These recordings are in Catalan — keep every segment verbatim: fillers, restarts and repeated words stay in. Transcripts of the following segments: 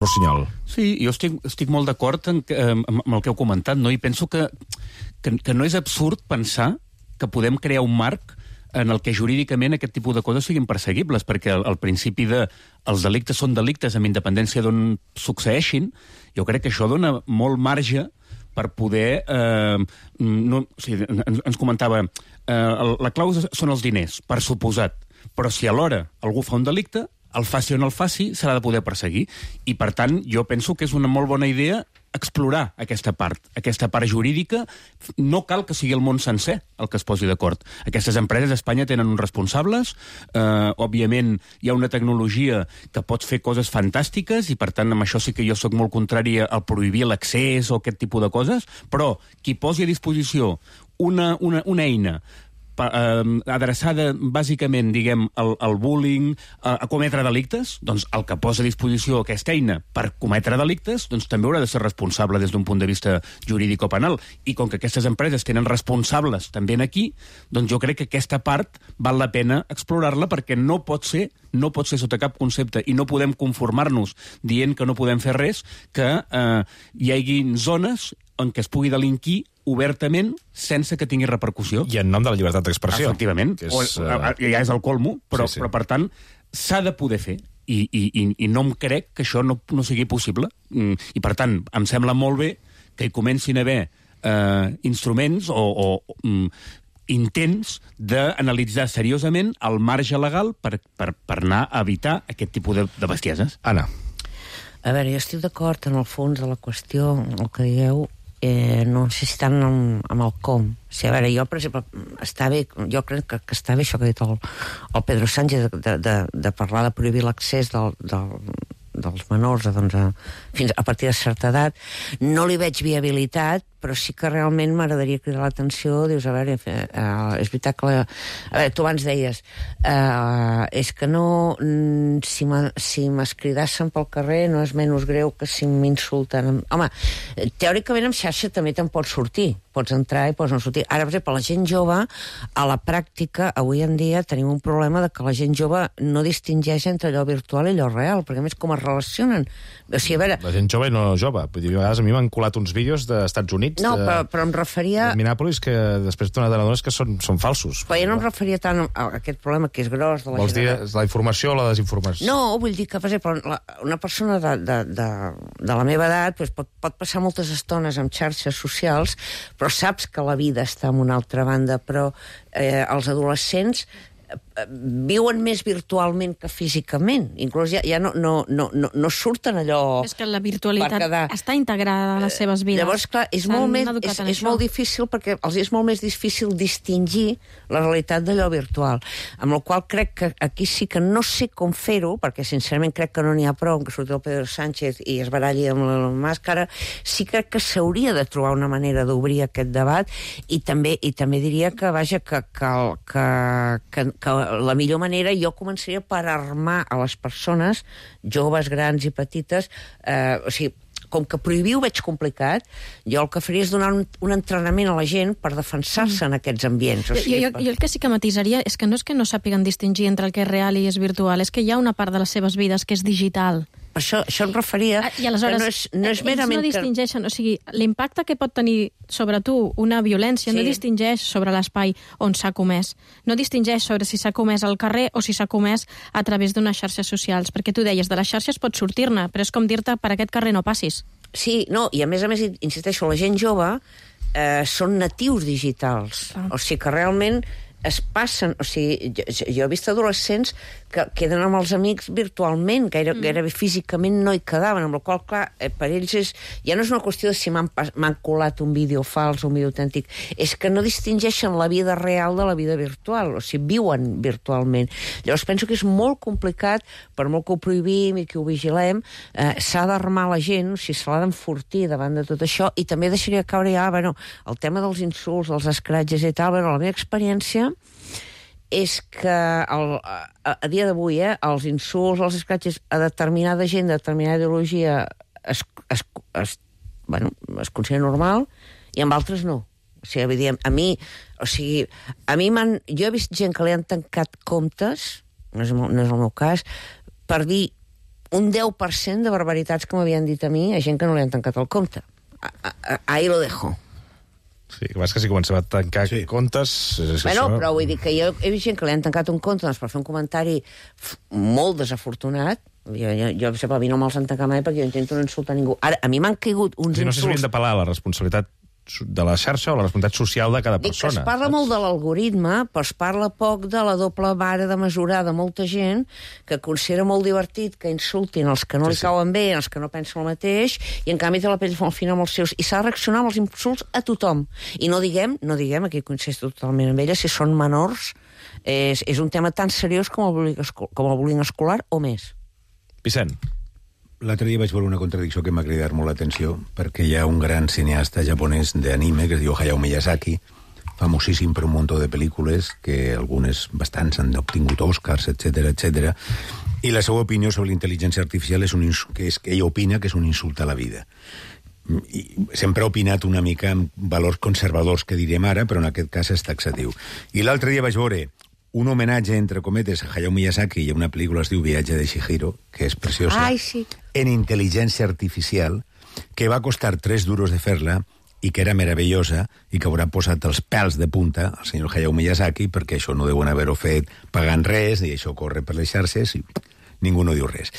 Rossinyol. Sí, jo estic, estic molt d'acord amb, amb el que heu comentat, no? I penso que, que, que no és absurd pensar que podem crear un marc en el que jurídicament aquest tipus de coses siguin perseguibles, perquè el, el principi de els delictes són delictes amb independència d'on succeeixin, jo crec que això dona molt marge per poder... Eh, no, o sigui, ens, ens comentava, eh, la clau són els diners, per suposat, però si alhora algú fa un delicte, el faci o no el faci, s'ha de poder perseguir. I, per tant, jo penso que és una molt bona idea explorar aquesta part, aquesta part jurídica. No cal que sigui el món sencer el que es posi d'acord. Aquestes empreses a Espanya tenen uns responsables, eh, òbviament hi ha una tecnologia que pot fer coses fantàstiques i, per tant, amb això sí que jo sóc molt contrari al prohibir l'accés o aquest tipus de coses, però qui posi a disposició una, una, una eina adreçada bàsicament, diguem, al, al bullying, a, a cometre delictes, doncs el que posa a disposició aquesta eina per cometre delictes, doncs també haurà de ser responsable des d'un punt de vista jurídic o penal. I com que aquestes empreses tenen responsables també aquí, doncs jo crec que aquesta part val la pena explorar-la, perquè no pot ser, no pot ser sota cap concepte, i no podem conformar-nos dient que no podem fer res, que eh, hi hagi zones en què es pugui delinquir obertament sense que tingui repercussió. I en nom de la llibertat d'expressió. Efectivament. És, o, uh... ja és el colmo, però, sí, sí. però per tant, s'ha de poder fer. I, i, i no em crec que això no, no sigui possible. I per tant, em sembla molt bé que hi comencin a haver eh, instruments o, o um, intents d'analitzar seriosament el marge legal per, per, per anar a evitar aquest tipus de, de bestieses. Anna. A veure, jo estic d'acord en el fons de la qüestió, el que dieu, eh, no sé si tant amb, amb el com. O sigui, a veure, jo, per exemple, està bé, jo crec que, que està bé això que ha dit el, el Pedro Sánchez, de, de, de parlar de prohibir l'accés del, del, dels menors a, doncs, a, fins a partir de certa edat. No li veig viabilitat, però sí que realment m'agradaria cridar l'atenció. Dius, a veure, eh, és veritat que la... A veure, tu abans deies eh, és que no, si m'escridassen pel carrer no és menys greu que si m'insulten. Home, teòricament en xarxa també te'n pots sortir, pots entrar i pots no sortir. Ara, per exemple, la gent jove, a la pràctica, avui en dia tenim un problema de que la gent jove no distingeix entre allò virtual i allò real, perquè a més com es relacionen. O sigui, a veure... La gent jove i no jove. Vull dir, a vegades a mi m'han colat uns vídeos d'Estats Units. No, de, però, però em referia... de Minneapolis, que després t'he donat que són, són falsos. Però jo no em referia tant a aquest problema que és gros de la Vols gent... dir la informació o la desinformació? No, vull dir que, per exemple, la, una persona de, de, de, de la meva edat pues, pot, pot passar moltes estones amb xarxes socials, però saps que la vida està en una altra banda. Però eh, els adolescents viuen més virtualment que físicament. Inclús ja, ja no, no, no, no, no surten allò... És que la virtualitat quedar... està integrada a les seves vides. Llavors, clar, és, molt, més, és, és molt difícil, perquè els és molt més difícil distingir la realitat d'allò virtual. Amb la qual crec que aquí sí que no sé com fer-ho, perquè sincerament crec que no n'hi ha prou que surti el Pedro Sánchez i es baralli amb la màscara. Sí crec que s'hauria de trobar una manera d'obrir aquest debat, i també, i també diria que, vaja, que, que, que, que que la millor manera jo començaria per armar a les persones, joves, grans i petites, eh, o sigui, com que prohibir ho veig complicat, jo el que faria és donar un, un entrenament a la gent per defensar-se mm. en aquests ambients. O sigui, jo, jo, jo el que sí que matisaria és que no és que no sàpiguen distingir entre el que és real i és virtual, és que hi ha una part de les seves vides que és digital. Per això, això em referia... I aleshores, no és, no és merament... Ells no distingeixen, o sigui, l'impacte que pot tenir sobre tu una violència sí. no distingeix sobre l'espai on s'ha comès. No distingeix sobre si s'ha comès al carrer o si s'ha comès a través d'unes xarxes socials. Perquè tu deies, de les xarxes pots sortir-ne, però és com dir-te, per aquest carrer no passis. Sí, no, i a més a més, insisteixo, la gent jove eh, són natius digitals. Ah. O sigui que realment es passen... O sigui, jo, jo he vist adolescents que queden amb els amics virtualment, gaire, mm. gairebé físicament no hi quedaven, amb la qual clar, eh, per ells és, ja no és una qüestió de si m'han colat un vídeo fals o un vídeo autèntic, és que no distingeixen la vida real de la vida virtual, o sigui, viuen virtualment. Llavors penso que és molt complicat, per molt que ho prohibim i que ho vigilem, eh, s'ha d'armar la gent, o sigui, se l'ha d'enfortir davant de tot això, i també deixaria caure ja, bueno, el tema dels insults, dels escratges i tal, bueno, la meva experiència és que el, a, a dia d'avui eh, els insults, els escratxes a determinada gent, de determinada ideologia es, es, es, bueno, es considera normal i amb altres no. O sigui, diem, a mi, o sigui, a mi m'han... Jo he vist gent que li han tancat comptes, no és, no és el meu cas, per dir un deu per cent de barbaritats que m'havien dit a mi a gent que no li han tancat el compte. A, a, a, ahí lo dejo. Sí, que vas que si comencem a tancar sí. comptes... És bueno, això... però vull dir que jo he vist gent que li han tancat un compte doncs, per fer un comentari molt desafortunat. Jo, jo, jo a mi no me'ls han tancat mai perquè jo intento no insultar ningú. Ara, a mi m'han caigut uns sí, no sé si insults... hauríem de parlar de la responsabilitat de la xarxa o la responsabilitat social de cada Dic persona. que es parla saps? molt de l'algoritme, però es parla poc de la doble vara de mesurar de molta gent que considera molt divertit que insultin els que no sí, li cauen bé, els que no pensen el mateix, i en canvi té la pell al final amb els seus... I s'ha de reaccionar amb els insults a tothom. I no diguem, no diguem, aquí coincideixo totalment amb ella, si són menors, és, és un tema tan seriós com el bullying, com el bullying escolar o més. Vicent. L'altre dia vaig veure una contradicció que m'ha cridat molt l'atenció, perquè hi ha un gran cineasta japonès d'anime que es diu Hayao Miyazaki, famosíssim per un munt de pel·lícules, que algunes bastants han obtingut Oscars, etcètera, etcètera, i la seva opinió sobre l'intel·ligència artificial és, un, que és que ell opina que és un insult a la vida. I sempre ha opinat una mica amb valors conservadors, que direm ara, però en aquest cas és taxatiu. I l'altre dia vaig veure un homenatge, entre cometes, a Hayao Miyazaki i una pel·lícula es diu Viatge de Chihiro, que és preciosa, Ai, sí. en intel·ligència artificial, que va costar tres duros de fer-la i que era meravellosa i que haurà posat els pèls de punta al senyor Hayao Miyazaki, perquè això no deuen haver-ho fet pagant res, i això corre per les xarxes i ningú no diu res.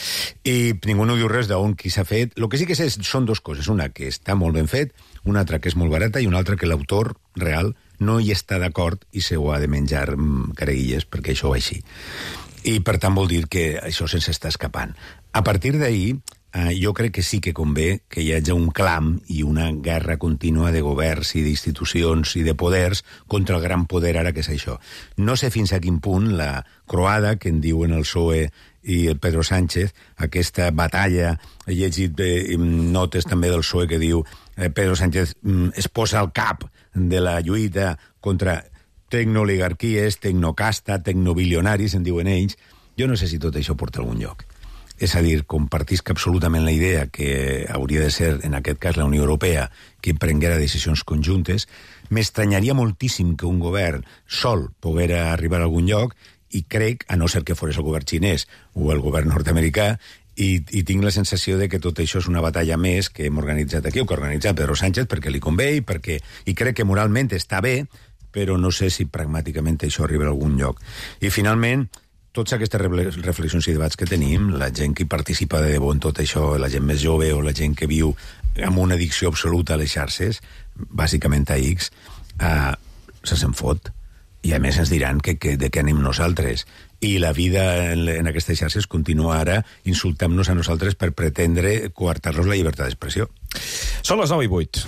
I ningú no diu res d'on qui s'ha fet. El que sí que sé són dues coses. Una, que està molt ben fet, una altra, que és molt barata, i una altra, que l'autor real no hi està d'acord i se ho ha de menjar careguilles, perquè això va així. I, per tant, vol dir que això se'ns està escapant. A partir d'ahir, eh, jo crec que sí que convé que hi hagi un clam i una guerra contínua de governs i d'institucions i de poders contra el gran poder ara que és això. No sé fins a quin punt la croada, que en diuen el P S O E i el Pedro Sánchez, aquesta batalla, he llegit eh, notes també del P S O E que diu eh, Pedro Sánchez mm, es posa al cap de la lluita contra tecnooligarquies, tecnocasta, tecnobilionaris, en diuen ells. Jo no sé si tot això porta a algun lloc. És a dir, compartisc absolutament la idea que hauria de ser, en aquest cas, la Unió Europea, que prenguera decisions conjuntes. M'estranyaria moltíssim que un govern sol poguera arribar a algun lloc, i crec, a no ser que fos el govern xinès o el govern nord-americà, i, i tinc la sensació de que tot això és una batalla més que hem organitzat aquí, o que ha organitzat Pedro Sánchez perquè li convé i, perquè, i crec que moralment està bé, però no sé si pragmàticament això arriba a algun lloc. I finalment, totes aquestes reflexions i debats que tenim, la gent que participa de debò en tot això, la gent més jove o la gent que viu amb una addicció absoluta a les xarxes, bàsicament a X, eh, se se'n fot. I a més ens diran que, que, de què anem nosaltres. I la vida en, en aquestes xarxes continua ara insultant-nos a nosaltres per pretendre coartar-nos la llibertat d'expressió. Són les nou i vuit.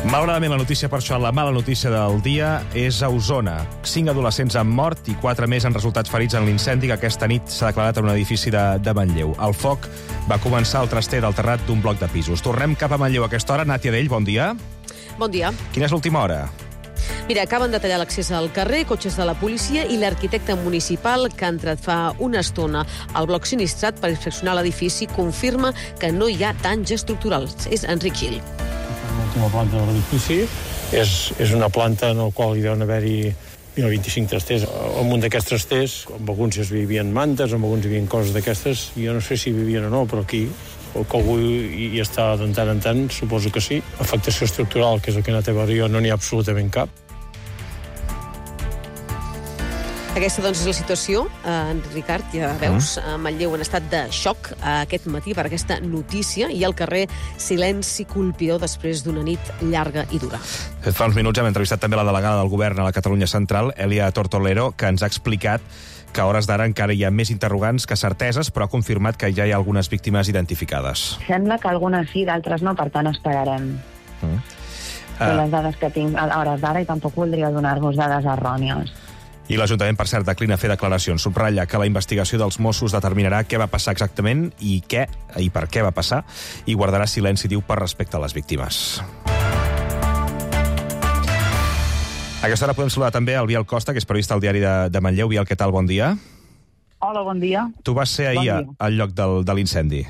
Malauradament, la notícia per això, la mala notícia del dia, és a Osona. Cinc adolescents han mort i quatre més han resultat ferits en l'incendi que aquesta nit s'ha declarat en un edifici de, de Manlleu. El foc va començar al traster del terrat d'un bloc de pisos. Tornem cap a Manlleu a aquesta hora. Nàtia Dell, bon dia. Bon dia. Quina és l'última hora? Mira, acaben de tallar l'accés al carrer, cotxes de la policia i l'arquitecte municipal que ha entrat fa una estona al bloc sinistrat per inspeccionar l'edifici confirma que no hi ha danys estructurals. És Enric Gil. L'última planta de l'edifici és, és una planta en la qual hi deuen haver-hi vint-i-cinc trasters. Al munt d'aquests trasters, amb alguns es vivien mantes, amb alguns hi havia coses d'aquestes. Jo no sé si vivien o no, però aquí o que algú hi està de tant en tant, suposo que sí. Afectació estructural, que és el que anat a veure jo, no n'hi ha absolutament cap. Aquesta, doncs, és la situació. Eh, Ricard, ja veus, a Manlleu en estat de xoc aquest matí per aquesta notícia i al carrer silenci colpidor després d'una nit llarga i dura. Fa uns minuts hem entrevistat també la delegada del govern a la Catalunya Central, Elia Tortolero, que ens ha explicat que a hores d'ara encara hi ha més interrogants que certeses, però ha confirmat que ja hi ha algunes víctimes identificades. Sembla que algunes sí, d'altres no, per tant esperarem. Mm. Uh. Les dades que tinc a hores d'ara i tampoc voldria donar-vos dades errònies. I l'Ajuntament, per cert, declina fer declaracions. Subratlla que la investigació dels Mossos determinarà què va passar exactament i què i per què va passar, i guardarà silenci, diu, per respecte a les víctimes. A aquesta hora podem saludar també el Biel Costa, que és periodista al diari de, de Manlleu. Biel, què tal? Bon dia. Hola, bon dia. Tu vas ser ahir bon al lloc del, de l'incendi.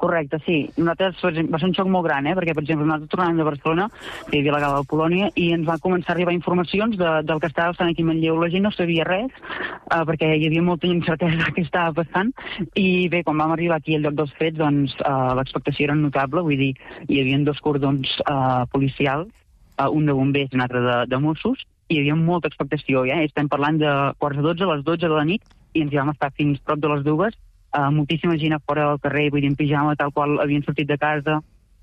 Correcte, sí. Nosaltres, per exemple, va ser un xoc molt gran, eh? perquè, per exemple, nosaltres tornàvem de Barcelona, que hi havia la gala de Polònia, i ens van començar a arribar informacions de, del que estava passant aquí a Manlleu. La gent no sabia res, uh, perquè hi havia molta incertesa que estava passant, i bé, quan vam arribar aquí al lloc dels fets, doncs uh, l'expectació era notable, vull dir, hi havia dos cordons uh, policials, uh, un de bombers i un altre de, de Mossos, i hi havia molta expectació, ja. Estem parlant de quarts de dotze, a les dotze de la nit, i ens hi vam estar fins prop de les dues, Uh, moltíssima gent a fora del carrer, vull dir, en pijama, tal qual havien sortit de casa.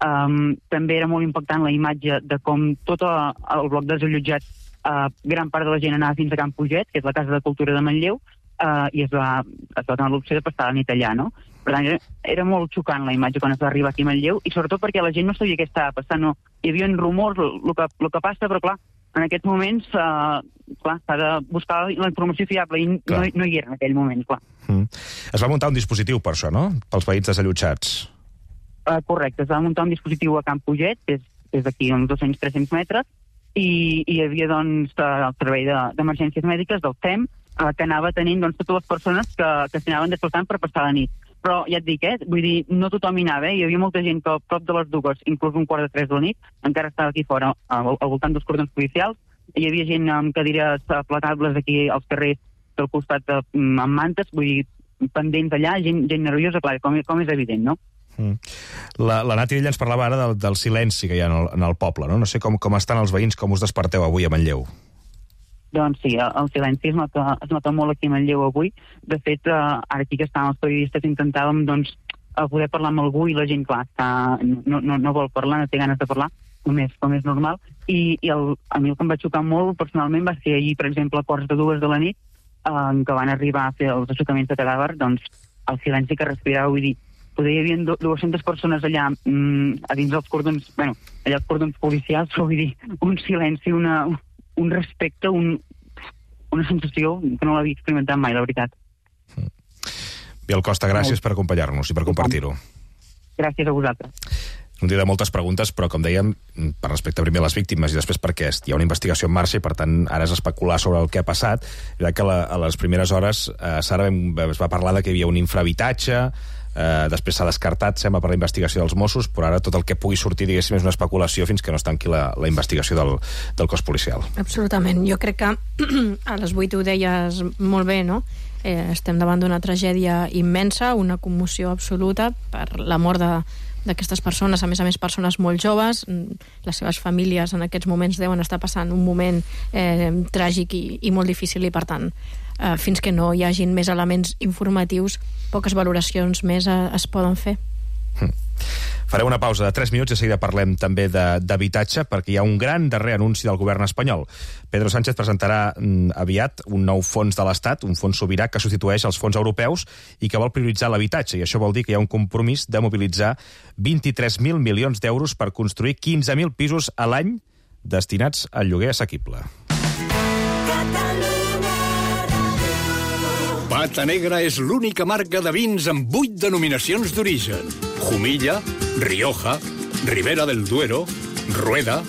Um, també era molt impactant la imatge de com tot el bloc desallotjat, uh, gran part de la gent anava fins a Can Puget, que és la Casa de Cultura de Manlleu, uh, i es va, es va donar l'opció de passar la nit allà, no? Per tant, era, era molt xocant la imatge quan es va arribar aquí a Manlleu, i sobretot perquè la gent no sabia què estava passant, no? Hi havia rumors, el que, el que passa, però clar, en aquests moments, uh, clar, s'ha de buscar la informació fiable, i no, no hi era en aquell moment, clar. Mm. Es va muntar un dispositiu per això, no?, pels veïns desallotjats. Uh, correcte, es va muntar un dispositiu a Can Puget, que és, és d'aquí uns dos cents a tres-cents metres, i, i hi havia, doncs, el servei d'emergències de, mèdiques del S E M, uh, que anava tenint, doncs, totes les persones que, que s'anaven desplaçant per passar la nit. Però ja et dic, eh? Vull dir, no tothom hi anava, eh? Hi havia molta gent que a prop de les dues, inclús un quart de tres de la nit, encara estava aquí fora, al, al voltant dels cordons policials. Hi havia gent amb cadires platables aquí als carrers del costat de, amb mantes, vull dir, pendents allà, gent, gent nerviosa, clar, com, com és evident, no? Mm. La, la Nati ella ens parlava ara del, del silenci que hi ha en el, en el poble, no? No sé com, com estan els veïns, com us desperteu avui a Manlleu. Doncs sí, el silenci es nota, es nota molt aquí a Manlleu avui. De fet, eh, ara aquí que estàvem els periodistes intentàvem, doncs, poder parlar amb algú i la gent, clar, està, no, no, no vol parlar, no té ganes de parlar, com és, com és normal. I, i el, a mi el que em va xocar molt personalment va ser ahir, per exemple, a quarts de dues de la nit, eh, en què van arribar a fer els aixecaments de cadàver, doncs el silenci que respirava, vull dir, poder hi havia dues-centes persones allà mm, a dins dels cordons, bueno, allà els cordons policials, però vull dir, un silenci, una, un respecte, un, una sensació que no l'havia experimentat mai, la veritat. Biel Costa, gràcies per acompanyar-nos i per compartir-ho. Gràcies a vosaltres. Un dia de moltes preguntes, però, com dèiem, per respecte primer a les víctimes i després perquè hi ha una investigació en marxa i, per tant, ara és especular sobre el que ha passat. Ja que la, a les primeres hores eh, Sara es va parlar de que hi havia un infrahabitatge, eh, després s'ha descartat, sembla, per la investigació dels Mossos, però ara tot el que pugui sortir, diguéssim, és una especulació fins que no es tanqui la, la investigació del, del cos policial. Absolutament. Jo crec que a les vuit ho deies molt bé, no? Eh, estem davant d'una tragèdia immensa, una commoció absoluta per la mort de d'aquestes persones, a més a més persones molt joves. Les seves famílies en aquests moments deuen estar passant un moment eh, tràgic i, i molt difícil, i per tant eh, fins que no hi hagin més elements informatius, poques valoracions més eh, es poden fer. Hm. Farem una pausa de tres minuts i de seguida parlem també d'habitatge, perquè hi ha un gran darrer anunci del govern espanyol. Pedro Sánchez presentarà mm, aviat un nou fons de l'Estat, un fons sobirà que substitueix els fons europeus i que vol prioritzar l'habitatge, i això vol dir que hi ha un compromís de mobilitzar vint-i-tres mil milions d'euros per construir quinze mil pisos a l'any destinats al lloguer assequible. Pata Negra és l'única marca de vins amb vuit denominacions d'origen. Jumilla, Rioja, Ribera del Duero, Rueda,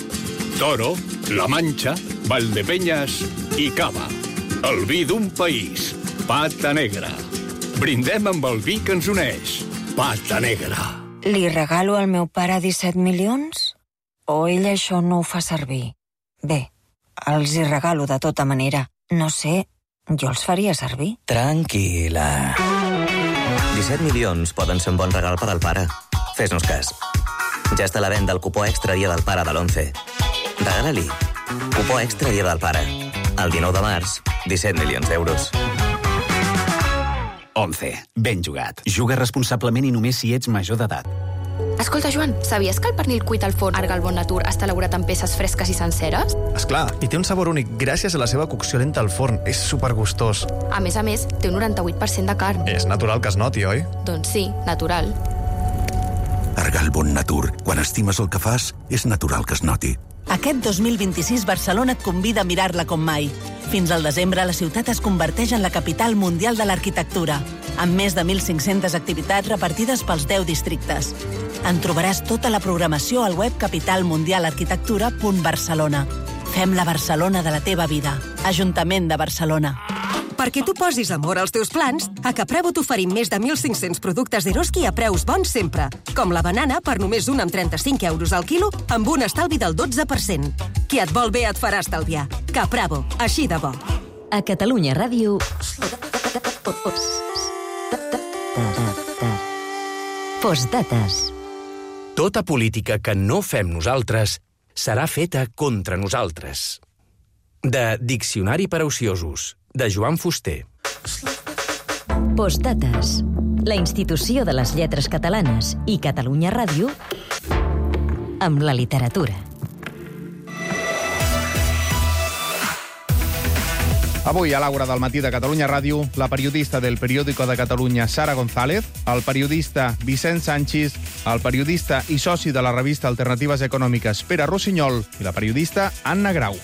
Toro, La Mancha, Valdepeñas i Cava. El vi d'un país. Pata Negra. Brindem amb el vi que ens uneix. Pata Negra. Li regalo al meu pare disset milions? O ell això no ho fa servir? Bé, els hi regalo de tota manera. No sé, jo els faria servir. Tranquil·la. disset milions poden ser un bon regal per al pare. Fes-nos cas. Ja està a la venda el cupó extra Dia del Pare de l'onze. Regala-li. Cupó extra Dia del Pare. El dinou de març, disset milions d'euros. onze. Ben jugat. Juga responsablement i només si ets major d'edat. Escolta, Joan, sabies que el pernil cuit al forn Arga al Bon Natur està elaborat amb peces fresques i senceres? Esclar, i té un sabor únic gràcies a la seva cocció lenta al forn. És supergustós. A més a més, té un noranta-vuit per cent de carn. És natural que es noti, oi? Doncs sí, natural. Arga al Bon Natur. Quan estimes el que fas, és natural que es noti. Aquest dos mil vint-i-sis Barcelona et convida a mirar-la com mai. Fins al desembre, la ciutat es converteix en la capital mundial de l'arquitectura, amb més de mil cinc-centes activitats repartides pels deu districtes. En trobaràs tota la programació al web capital mundial arquitectura punt barcelona. Fem la Barcelona de la teva vida. Ajuntament de Barcelona. Perquè tu posis amor als teus plans, a Capravo t'oferim més de mil cinc-cents productes d'Eroski a preus bons sempre, com la banana per només un amb trenta-cinc euros al quilo, amb un estalvi del dotze per cent. Qui et vol bé et farà estalviar. Capravo, així de bo. A Catalunya Ràdio... Postdates. Tota política que no fem nosaltres serà feta contra nosaltres. De Diccionari per a ociosos, de Joan Fuster. Postdates. La institució de les lletres catalanes i Catalunya Ràdio amb la literatura. Avui, a l'Aura del matí de Catalunya Ràdio, la periodista del Periódico de Catalunya, Sara González, el periodista Vicent Sanchis, el periodista i soci de la revista Alternatives Econòmiques, Pere Rossinyol, i la periodista Anna Grau.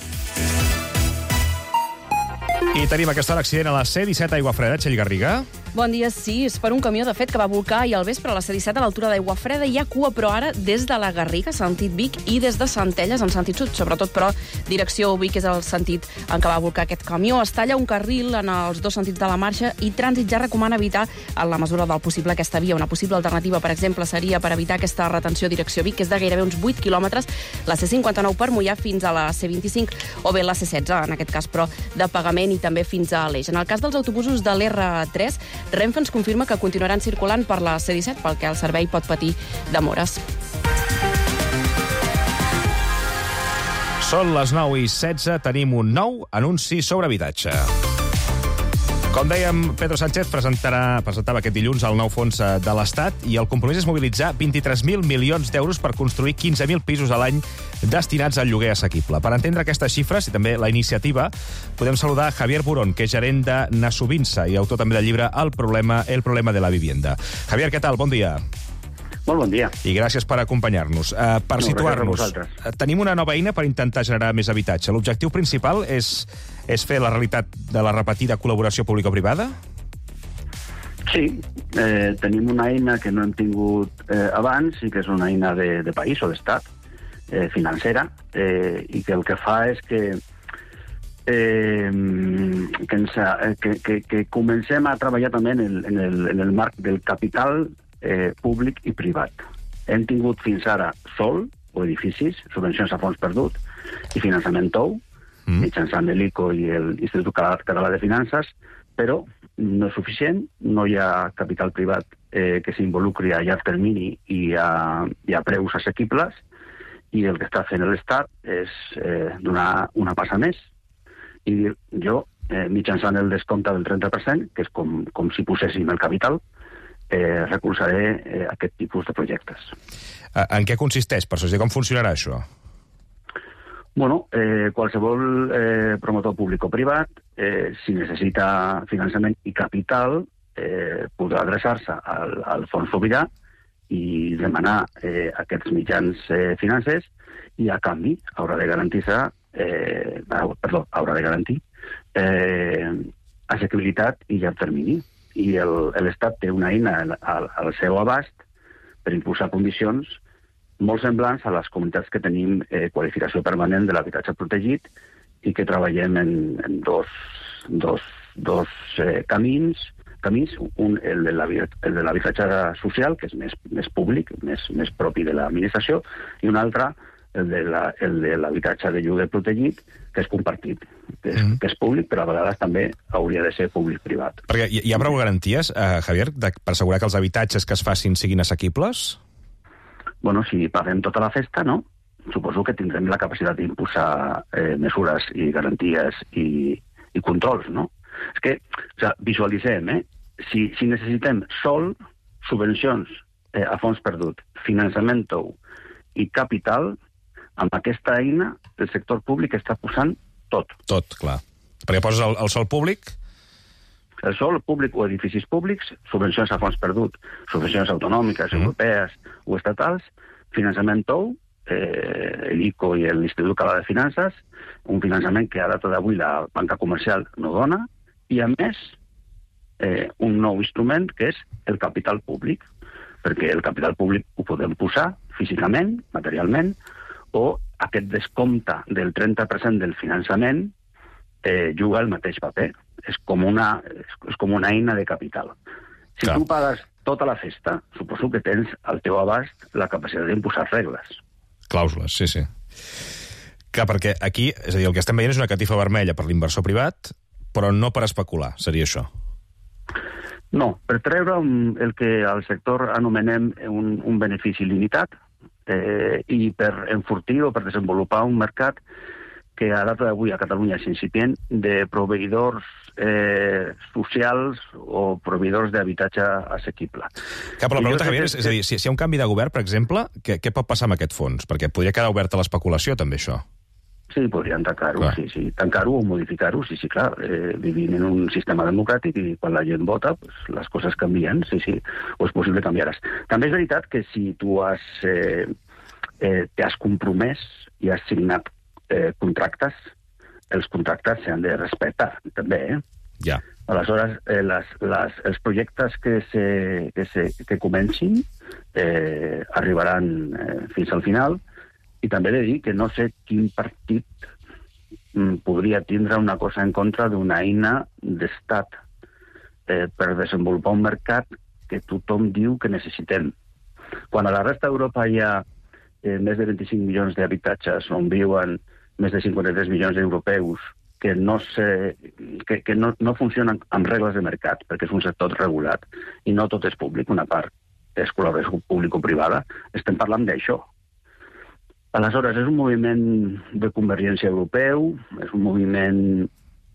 I tenim aquesta hora accident a la C disset Aiguafreda, Txell Garriga. Bon dia, sí, és per un camió, de fet, que va volcar ahir al vespre a la C disset a l'altura d'Aiguafreda. Hi ha cua, però ara des de la Garriga, sentit Vic, i des de Centelles, en sentit sud, sobretot, però direcció Vic és el sentit en què va volcar aquest camió. Es talla un carril en els dos sentits de la marxa i Trànsit ja recomana evitar, en la mesura del possible, aquesta via. Una possible alternativa, per exemple, seria per evitar aquesta retenció direcció Vic, que és de gairebé uns vuit quilòmetres, la C cinquanta-nou per Moià fins a la C vint-i-cinc, o bé la C setze, en aquest cas, però de pagament, i també fins a l'Eix. En el cas dels autobusos de l'R tres, Renfe ens confirma que continuaran circulant per la C disset, pel que el servei pot patir demores. Són les nou i setze, tenim un nou anunci sobre habitatge. Com dèiem, Pedro Sánchez presentarà, presentava aquest dilluns el nou fons de l'Estat i el compromís és mobilitzar vint-i-tres mil milions d'euros per construir quinze mil pisos a l'any destinats al lloguer assequible. Per entendre aquestes xifres i també la iniciativa, podem saludar Javier Burón, que és gerent de Nasubinsa i autor també del llibre El problema, el problema de la vivienda. Javier, què tal? Bon dia. Molt bon dia. I gràcies per acompanyar-nos. Uh, per no, situar-nos, tenim una nova eina per intentar generar més habitatge. L'objectiu principal és, és fer la realitat de la repetida col·laboració público-privada? Sí, eh, tenim una eina que no hem tingut eh, abans i que és una eina de, de país o d'estat, eh, financera, eh, i que el que fa és que Eh, que, ens, que, que, que comencem a treballar també en el, en el, en el marc del capital eh, públic i privat. Hem tingut fins ara sol o edificis, subvencions a fons perdut i finançament tou, mm. mitjançant l'I C O i l'Institut Català de Finances, però no és suficient, no hi ha capital privat eh, que s'involucri a llarg termini i a, i a preus assequibles, i el que està fent l'Estat és eh, donar una passa més. I jo, eh, mitjançant el descompte del trenta per cent, que és com, com si poséssim el capital, eh, recolzaré eh, aquest tipus de projectes. En què consisteix, per això? Com funcionarà això? Bueno, eh, qualsevol eh, promotor públic o privat, eh, si necessita finançament i capital, eh, podrà adreçar-se al, al Fons Sobirà i demanar eh, aquests mitjans eh, financers, i a canvi haurà de garantir-se Eh, perdó, haurà de garantir eh, assequibilitat i llarg termini. I l'Estat té una eina al, al seu abast per impulsar condicions molt semblants a les comunitats que tenim eh, qualificació permanent de l'habitatge protegit i que treballem en, en dos, dos, dos eh, camins, camins, un el de l'habitatge social, que és més, més públic, més, més propi de l'administració, i un altre el de l'habitatge de lloguer protegit, que és compartit, que és, mm. que és públic, però a vegades també hauria de ser públic-privat. Perquè hi, hi ha prou garanties, eh, Javier, de, per assegurar que els habitatges que es facin siguin assequibles? Bueno, si paguem tota la festa, no? Suposo que tindrem la capacitat d'impulsar eh, mesures i garanties i, i controls, no? És que, o sigui, visualitzem, eh? Si, si necessitem sol, subvencions eh, a fons perdut, finançament tou i capital, amb aquesta eina el sector públic està posant tot. Tot, clar. Perquè poses el, el sol públic? El sol públic o edificis públics, subvencions a fons perdut, subvencions autonòmiques, mm. europees o estatals, finançament tou, eh, l'I C O i l'Institut Català de Finances, un finançament que a data d'avui la banca comercial no dona, i a més eh, un nou instrument que és el capital públic, perquè el capital públic ho podem posar físicament, materialment, o aquest descompte del trenta per cent del finançament eh, juga el mateix paper. és com una, és com una eina de capital. Si Clar. tu pagues tota la festa, suposo que tens al teu abast la capacitat d'imposar regles. Clàusules, sí, sí. Clar, perquè aquí, és a dir, el que estem veient és una catifa vermella per l'inversor privat, però no per especular, seria això. No, per treure el que al sector anomenem un, un benefici limitat eh, i per enfortir o per desenvolupar un mercat que a data d'avui a Catalunya és incipient de proveïdors eh, socials o proveïdors d'habitatge assequible. Clar, però la pregunta, Javier, és, és a dir, si, si hi ha un canvi de govern, per exemple, què, què pot passar amb aquest fons? Perquè podria quedar obert a l'especulació, també, això. Sí, podrien tancar-ho, sí, sí. Tancar-ho o modificar-ho, sí, sí, clar. Eh, vivim en un sistema democràtic i quan la gent vota, pues, les coses canvien, sí, sí, o és possible canviar-les. També és veritat que si tu has, eh, eh, t'has compromès i has signat eh, contractes, els contractes s'han de respectar, també, eh? Ja. Aleshores, eh, les, les, els projectes que, se, que, se, que comencin eh, arribaran eh, fins al final. I també he de dir que no sé quin partit mm, podria tindre una cosa en contra d'una eina d'estat eh, per desenvolupar un mercat que tothom diu que necessitem. Quan a la resta d'Europa hi ha eh, més de vint-i-cinc milions d'habitatges on viuen més de cinquanta-tres milions d'europeus que no, se, que, que no, no funcionen amb regles de mercat, perquè és un sector regulat i no tot és públic, una part és col·laboració público-privada, estem parlant d'això. Aleshores, és un moviment de convergència europeu, és un moviment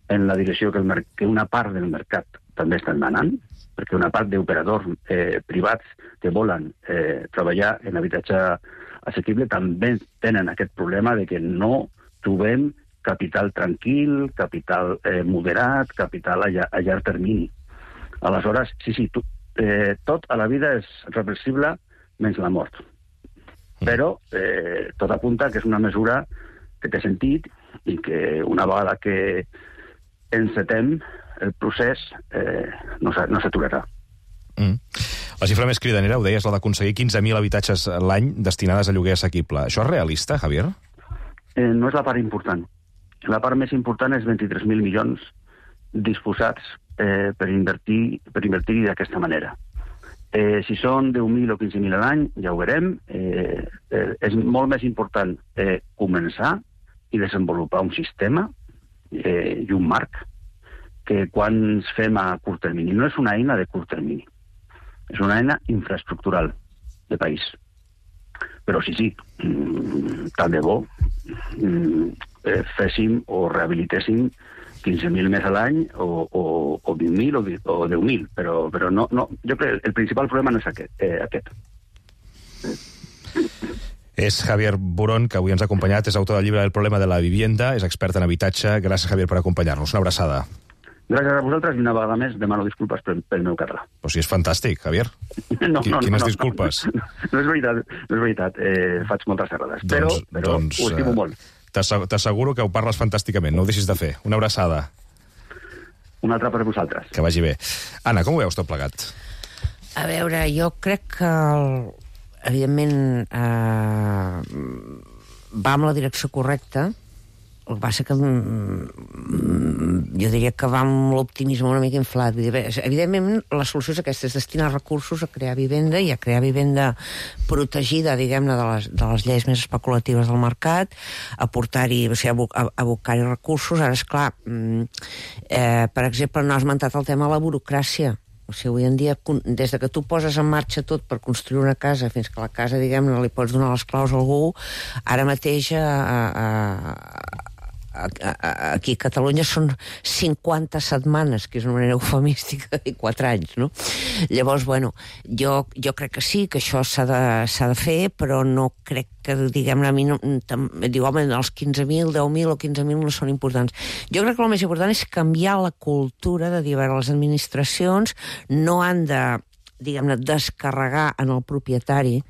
en la direcció que, el que una part del mercat també està demanant, perquè una part d'operadors eh, privats que volen eh, treballar en habitatge assequible també tenen aquest problema de que no trobem capital tranquil, capital eh, moderat, capital a, a llarg termini. Aleshores, sí, sí, tu, eh, tot a la vida és reversible menys la mort. Però eh, tot apunta que és una mesura que té sentit i que una vegada que encetem el procés eh, no s'aturarà. Mm. La xifra més cridanera, ho deies, la d'aconseguir quinze mil habitatges l'any destinades a lloguer assequible. Això és realista, Javier? Eh, no és la part important. La part més important és vint-i-tres mil milions disposats eh, per invertir per invertir d'aquesta manera. Eh, si són deu mil o quinze mil a l'any, ja ho veurem. Eh, eh, és molt més important eh, començar i desenvolupar un sistema eh, i un marc que quan ens fem a curt termini. No és una eina de curt termini, és una eina infraestructural de país. Però sí, sí, mm, tant de bo mm, eh, féssim o rehabilitéssim quinze mil més a l'any o, o, o vint mil o, o deu mil, però, però no, no, jo crec que el principal problema no és aquest. Eh, aquest. És Javier Burón, que avui ens ha acompanyat, és autor del llibre El problema de la vivienda, és expert en habitatge. Gràcies, Javier, per acompanyar-nos. Una abraçada. Gràcies a vosaltres i una vegada més demano disculpes pel, pel meu català. Però si és fantàstic, Javier. No, no, Quines no, disculpes? No, no, no és veritat, no és veritat. Eh, faig moltes errades, però, doncs, però doncs, ho estimo molt. T'asseguro que ho parles fantàsticament, no ho deixis de fer. Una abraçada. Una altra per vosaltres. Que vagi bé. Anna, com ho veus tot plegat? A veure, jo crec que, el, evidentment, eh, va en la direcció correcta. El que passa que jo diria que va amb l'optimisme una mica inflat. Evidentment, la solució és aquesta, és destinar recursos a crear vivenda i a crear vivenda protegida, diguem-ne, de les, de les lleis més especulatives del mercat, aportar-hi, o sigui, abocar-hi recursos. Ara, esclar, eh, per exemple, no has esmentat el tema de la burocràcia. O sigui, avui en dia, des de que tu poses en marxa tot per construir una casa fins que la casa, diguem-ne, li pots donar les claus a algú, ara mateix a, a, a, aquí a Catalunya són cinquanta setmanes, que és una manera eufemística, i quatre anys, no? Llavors, bueno, jo, jo crec que sí, que això s'ha de, s'ha de fer, però no crec que, diguem-ne, a mi no, diu, home, els quinze mil, deu mil o quinze mil no són importants. Jo crec que el més important és canviar la cultura de dir, a veure, les administracions no han de, diguem-ne, descarregar en el propietari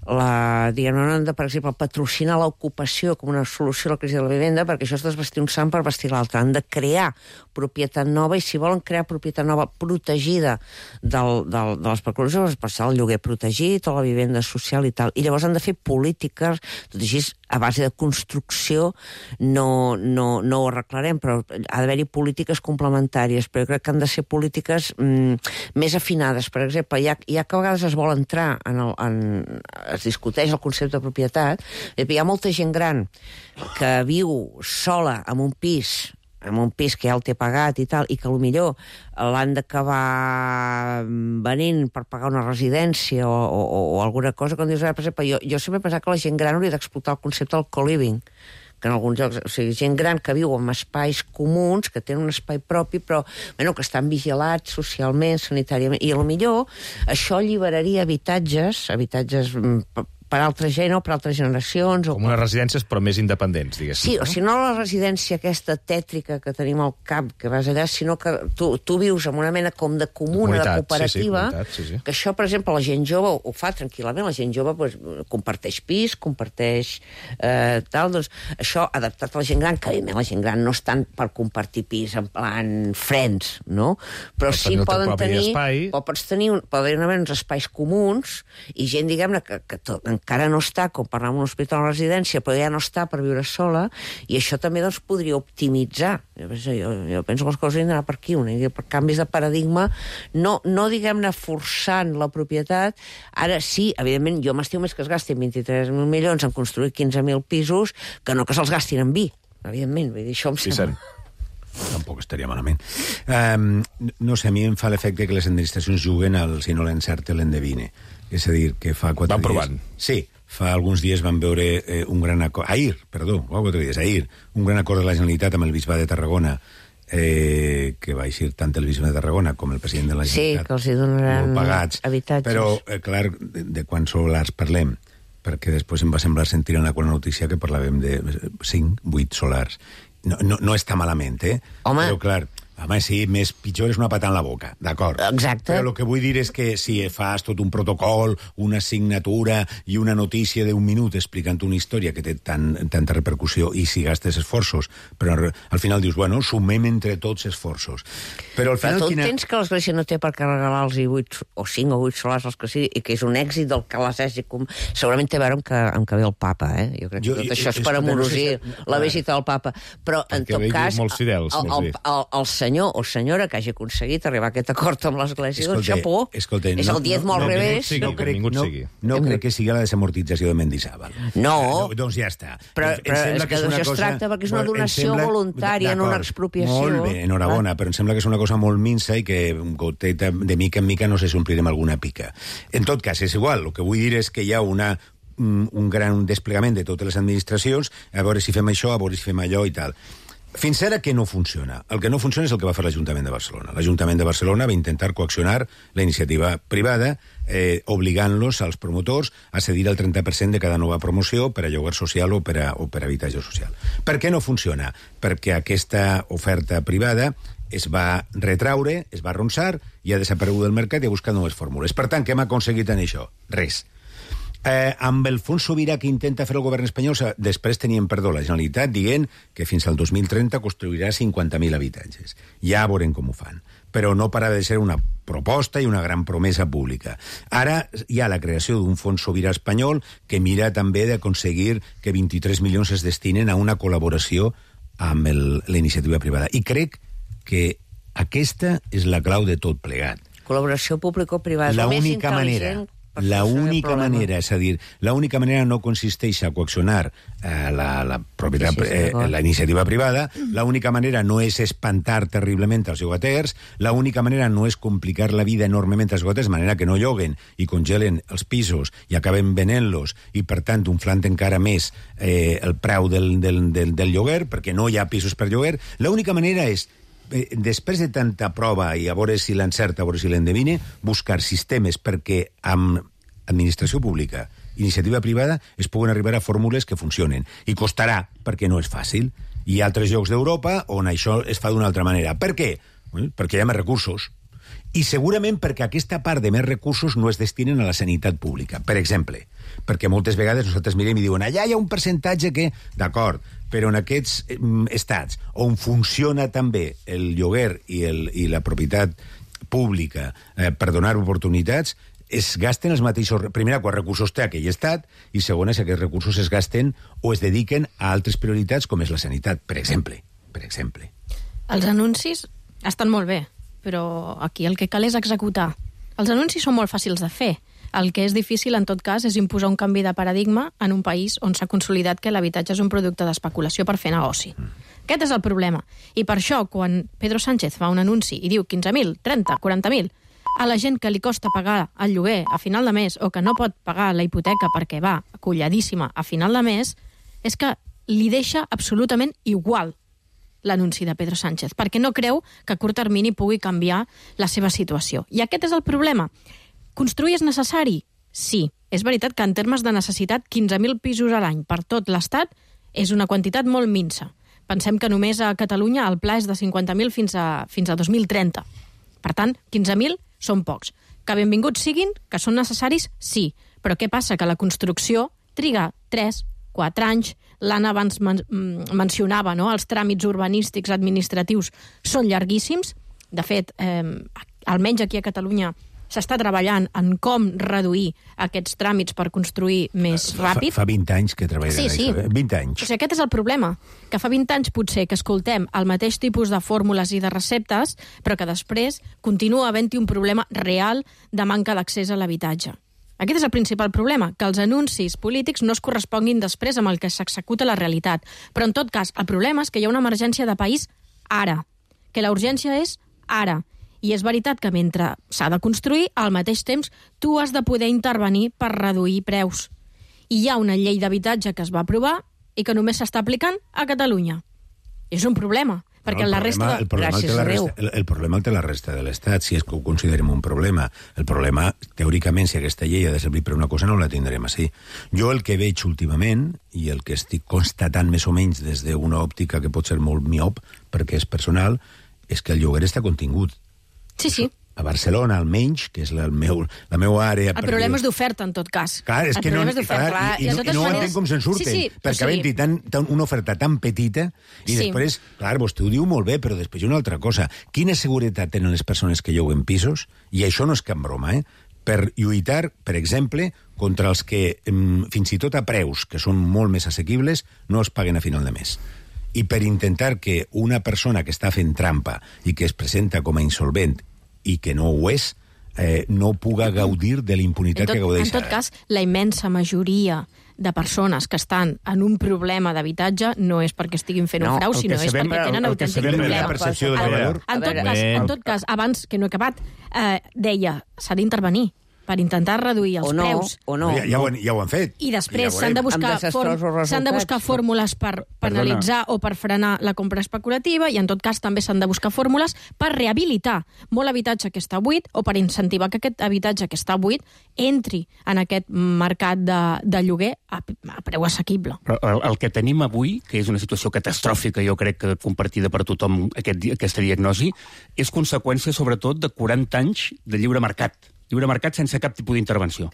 la, diguem, no han de, per exemple, patrocinar l'ocupació com una solució a la crisi de la vivenda, perquè això és desvestir un sant per vestir l'altre. Han de crear propietat nova, i si volen crear propietat nova protegida del, del, de l'especulació, per ser el lloguer protegit o la vivenda social i tal. I llavors han de fer polítiques, tot així, a base de construcció, no, no, no ho arreglarem, però ha d'haver-hi polítiques complementàries, però jo crec que han de ser polítiques mm, més afinades. Per exemple, ja, ja que a vegades es vol entrar en el, en, es discuteix el concepte de propietat, hi ha molta gent gran que viu sola en un pis, en un pis que ja el té pagat i tal, i que potser l'han d'acabar venint per pagar una residència o, o, o alguna cosa, quan dius, per exemple, jo, jo sempre he pensat que la gent gran hauria d'explotar el concepte del co-living, que en alguns llocs, o sigui, gent gran que viu en espais comuns, que tenen un espai propi, però bueno, que estan vigilats socialment, sanitàriament, i potser això alliberaria habitatges, habitatges per altra gent o per altres generacions. Com unes residències, però més independents, diguéssim. Sí, o si no la residència aquesta tètrica que tenim al cap, que vas allà, sinó que tu, tu vius en una mena com de comuna, de cooperativa, sí, sí, comunitat, sí, sí. Que això, per exemple, la gent jove ho fa tranquil·lament, la gent jove pues, comparteix pis, comparteix eh, tal, doncs això adaptat a la gent gran, que evidentment la gent gran no estan per compartir pis en plan friends, no? Però sí poden tenir, o pots tenir, poden haver uns espais comuns i gent, diguem-ne, que, que tot, encara no està, com per anar a un hospital o una residència, però ja no està per viure sola, i això també doncs, podria optimitzar. Jo, jo, jo penso que les coses han d'anar per aquí, una idea, per canvis de paradigma, no, no diguem-ne forçant la propietat. Ara sí, evidentment, jo m'estimo més que es gastin vint-i-tres mil milions en construir quinze mil pisos que no que se'ls gastin en vi, evidentment. Vull dir, això em sembla... Tampoc estaria malament. Um, no sé, a mi em fa l'efecte que les administracions juguen al si no l'encerte l'endevine. És a dir, que fa quatre van dies... provant. Sí, fa alguns dies van veure eh, un gran acord... Ahir, perdó, fa quatre dies, ahir, un gran acord de la Generalitat amb el bisbat de Tarragona, eh, que va eixir tant el bisbat de Tarragona com el president de la Generalitat. Sí, que els hi donaran pagats, habitatges. Però, eh, clar, de, de quants solars parlem? Perquè després em va semblar sentir en la qual notícia que parlàvem de cinc, vuit solars. No, no, no està malament, eh? Home. Però, clar, home, sí, més pitjor és una patada en la boca, d'acord. Exacte. Però el que vull dir és que si fas tot un protocol, una signatura i una notícia d'un minut explicant una història que té tan, tanta repercussió i si gastes esforços, però al final dius, bueno, sumem entre tots esforços. Però al final... Però tu quina... entens que l'Església no té per què regalar-los vuit o cinc o vuit solars els que sigui, i que és un èxit del que les hagi... Com... Segurament té a veure amb que, amb que ve el papa, eh? Jo crec que jo, tot això és, és per amorosir no sé si... la visita del papa. Però, en tot cas, molts fidels, el, el, el, el senyor o senyora que hagi aconseguit arribar a aquest acord amb l'Església, doncs xapó. Escolta, és el diezmo al revés. No crec, no, no crec que sigui la desamortització de Mendizábal. No. Eh, doncs ja està. Però, però és que d'això es tracta perquè és una donació voluntària, no una expropiació. Molt bé, enhorabona, però em sembla que és una cosa molt minsa i que goteta, de mica en mica no sé si omplirem alguna pica. En tot cas, és igual. El que vull dir és que hi ha una un gran desplegament de totes les administracions, a veure si fem això, a veure si fem allò i tal. Fins ara que no funciona. El que no funciona és el que va fer l'Ajuntament de Barcelona. L'Ajuntament de Barcelona va intentar coaccionar la iniciativa privada, eh, obligant-los als promotors a cedir el trenta per cent de cada nova promoció per a lloguer social o per a, o per a habitatge social. Per què no funciona? Perquè aquesta oferta privada es va retraure, es va arronsar i ha desaparegut del mercat i ha buscat noves fórmules. Per tant, què hem aconseguit en això? Res. Eh, amb el fons sobirà que intenta fer el govern espanyol, després teníem, perdó, la Generalitat dient que fins al dos mil trenta construirà cinquanta mil habitatges. Ja veurem com ho fan. Però no para de ser una proposta i una gran promesa pública. Ara hi ha la creació d'un fons sobirà espanyol que mira també d'aconseguir que vint-i-tres milions es destinen a una col·laboració amb el, la iniciativa privada. I crec que aquesta és la clau de tot plegat. Col·laboració público-privada. La única manera... La única manera, és a dir, la única manera no consisteix a coaccionar eh, la, la, propietat, sí, sí, eh, la iniciativa privada, la única manera no és espantar terriblement els llogaters, la única manera no és complicar la vida enormement als llogaters, de manera que no lloguen i congelen els pisos i acaben venent-los i, per tant, inflant encara més eh, el preu del, del, del, del lloguer, perquè no hi ha pisos per lloguer. L'única manera és, eh, després de tanta prova i a veure si l'encerta, a veure si l'endevine, buscar sistemes perquè amb administració pública, iniciativa privada, es puguen arribar a fórmules que funcionen. I costarà, perquè no és fàcil. Hi ha altres llocs d'Europa on això es fa d'una altra manera. Per què? Bueno, perquè hi ha més recursos. I segurament perquè aquesta part de més recursos no es destinen a la sanitat pública. Per exemple, perquè moltes vegades nosaltres mirem i diuen allà hi ha un percentatge que... D'acord, però en aquests eh, estats on funciona també el lloguer i, el, i la propietat pública eh, per donar oportunitats, es gasten els mateixos... Primera, quants recursos té aquell estat, i segona, si aquests recursos es gasten o es dediquen a altres prioritats, com és la sanitat, per exemple. Per exemple. Els anuncis estan molt bé, però aquí el que cal és executar. Els anuncis són molt fàcils de fer. El que és difícil, en tot cas, és imposar un canvi de paradigma en un país on s'ha consolidat que l'habitatge és un producte d'especulació per fer negoci. Mm. Aquest és el problema. I per això, quan Pedro Sánchez fa un anunci i diu quinze mil, trenta, quaranta mil, a la gent que li costa pagar el lloguer a final de mes o que no pot pagar la hipoteca perquè va colladíssima a final de mes, és que li deixa absolutament igual l'anunci de Pedro Sánchez, perquè no creu que a curt termini pugui canviar la seva situació. I aquest és el problema. Construir és necessari? Sí. És veritat que en termes de necessitat, quinze mil pisos a l'any per tot l'Estat és una quantitat molt minsa. Pensem que només a Catalunya el pla és de cinquanta mil fins a, fins a dos mil trenta. Per tant, quinze mil són pocs. Que benvinguts siguin, que són necessaris, sí. Però què passa? Que la construcció triga tres, quatre anys. L'Anna abans men mencionava, no? Els tràmits urbanístics administratius són llarguíssims. De fet, eh, almenys aquí a Catalunya s'està treballant en com reduir aquests tràmits per construir més ràpid. Fa, fa vint anys que treballen sí, sí. això. vint anys. O sigui, aquest és el problema, que fa vint anys potser que escoltem el mateix tipus de fórmules i de receptes, però que després continua havent-hi un problema real de manca d'accés a l'habitatge. Aquest és el principal problema, que els anuncis polítics no es corresponguin després amb el que s'executa la realitat. Però, en tot cas, el problema és que hi ha una emergència de país ara, que la urgència és ara. I és veritat que mentre s'ha de construir, al mateix temps tu has de poder intervenir per reduir preus. I hi ha una llei d'habitatge que es va aprovar i que només s'està aplicant a Catalunya. És un problema, perquè no, la resta... De... El problema, el, la resta, el, el problema el té la resta de l'Estat, si és que ho considerem un problema. El problema, teòricament, si aquesta llei ha de servir per una cosa, no la tindrem així. Jo el que veig últimament, i el que estic constatant més o menys des d'una òptica que pot ser molt miop, perquè és personal, és que el lloguer està contingut. Sí, sí. A Barcelona, almenys, que és la, el meu, la meva àrea... El problema és d'oferta, en tot cas. Clar, és el que no, és clar, i, i, i, no, i no maneres... entenc com se'n surten, sí, sí, perquè havent-hi tan, tan, una oferta tan petita, i sí. després, clar, vostè ho diu molt bé, però després hi ha una altra cosa. Quina seguretat tenen les persones que lloguen pisos? I això no és cap broma, eh? Per lluitar, per exemple, contra els que, fins i tot a preus, que són molt més assequibles, no es paguen a final de mes. I per intentar que una persona que està fent trampa i que es presenta com a insolvent i que no ho és, eh, no puga gaudir de la impunitat que gaudeix ara. En tot cas, la immensa majoria de persones que estan en un problema d'habitatge no és perquè estiguin fent no, un frau, sinó és perquè tenen autèntic problema. La percepció del valor. En tot, cas, en tot cas, abans que no he acabat, eh, deia, s'ha d'intervenir per intentar reduir els o no, preus. O no, ja, ja, ho, ja ho han fet. I després s'han ja de, buscar s'han de buscar fórmules per penalitzar Perdona. o per frenar la compra especulativa, i en tot cas també s'han de buscar fórmules per rehabilitar molt habitatge que està buit o per incentivar que aquest habitatge que està buit entri en aquest mercat de, de lloguer a, a preu assequible. Però el, el que tenim avui, que és una situació catastròfica, jo crec que compartida per tothom aquest, aquesta diagnosi, és conseqüència sobretot de quaranta anys de lliure mercat. Lliure mercat sense cap tipus d'intervenció.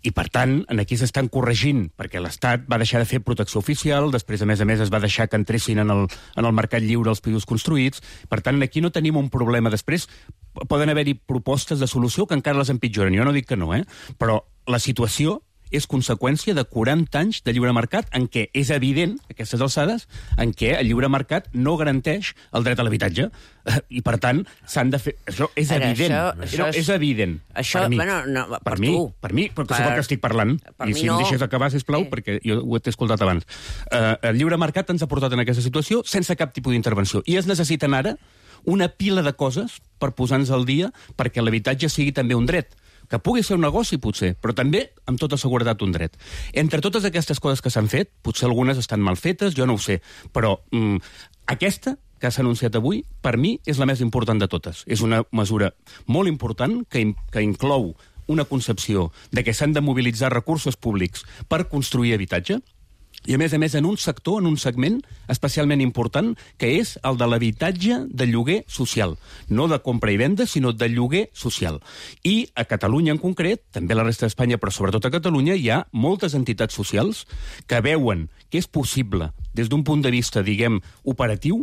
I, per tant, aquí s'estan corregint, perquè l'Estat va deixar de fer protecció oficial, després, a més a més, es va deixar que entressin en el, en el mercat lliure els pisos construïts. Per tant, aquí no tenim un problema. Després, poden haver-hi propostes de solució que encara les empitjoren. Jo no dic que no, eh? Però la situació és conseqüència de quaranta anys de lliure mercat en què és evident, aquestes alçades, en què el lliure mercat no garanteix el dret a l'habitatge. I, per tant, s'han de fer... Això és Ara, evident. Això, això és, és evident. Això, per mi. Bueno, no, per, per tu. mi, per mi, perquè per... sóc el que estic parlant. Per I si no. em deixes acabar, sisplau, sí. perquè jo ho he escoltat abans. Uh, el lliure mercat ens ha portat en aquesta situació sense cap tipus d'intervenció. I es necessiten ara una pila de coses per posar-nos al dia perquè l'habitatge sigui també un dret. Que pugui ser un negoci, potser, però també, amb tota seguretat, un dret. Entre totes aquestes coses que s'han fet, potser algunes estan mal fetes, jo no ho sé, però mm, aquesta que s'ha anunciat avui, per mi, és la més important de totes. És una mesura molt important que, que inclou una concepció de que s'han de mobilitzar recursos públics per construir habitatge, I, a més a més, en un sector, en un segment especialment important, que és el de l'habitatge de lloguer social. No de compra i venda, sinó de lloguer social. I a Catalunya en concret, també a la resta d'Espanya, però sobretot a Catalunya, hi ha moltes entitats socials que veuen que és possible, des d'un punt de vista, diguem, operatiu,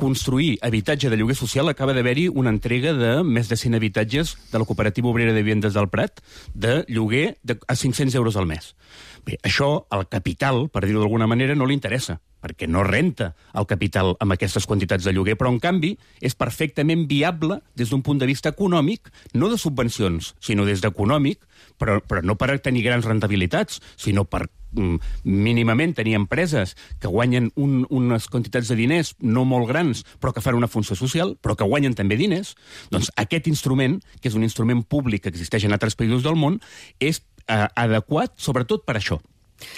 construir habitatge de lloguer social. Acaba d'haver-hi una entrega de més de cent habitatges de la Cooperativa Obrera de Vivendes del Prat de lloguer de, a cinc-cents euros al mes. Bé, això al capital, per dir-ho d'alguna manera, no li interessa, perquè no renta el capital amb aquestes quantitats de lloguer, però en canvi és perfectament viable des d'un punt de vista econòmic, no de subvencions, sinó des d'econòmic, però, però no per tenir grans rentabilitats, sinó per mm, mínimament tenir empreses que guanyen un, unes quantitats de diners no molt grans, però que fan una funció social, però que guanyen també diners. Doncs aquest instrument, que és un instrument públic que existeix en altres països del món, és eh, adequat sobretot per això.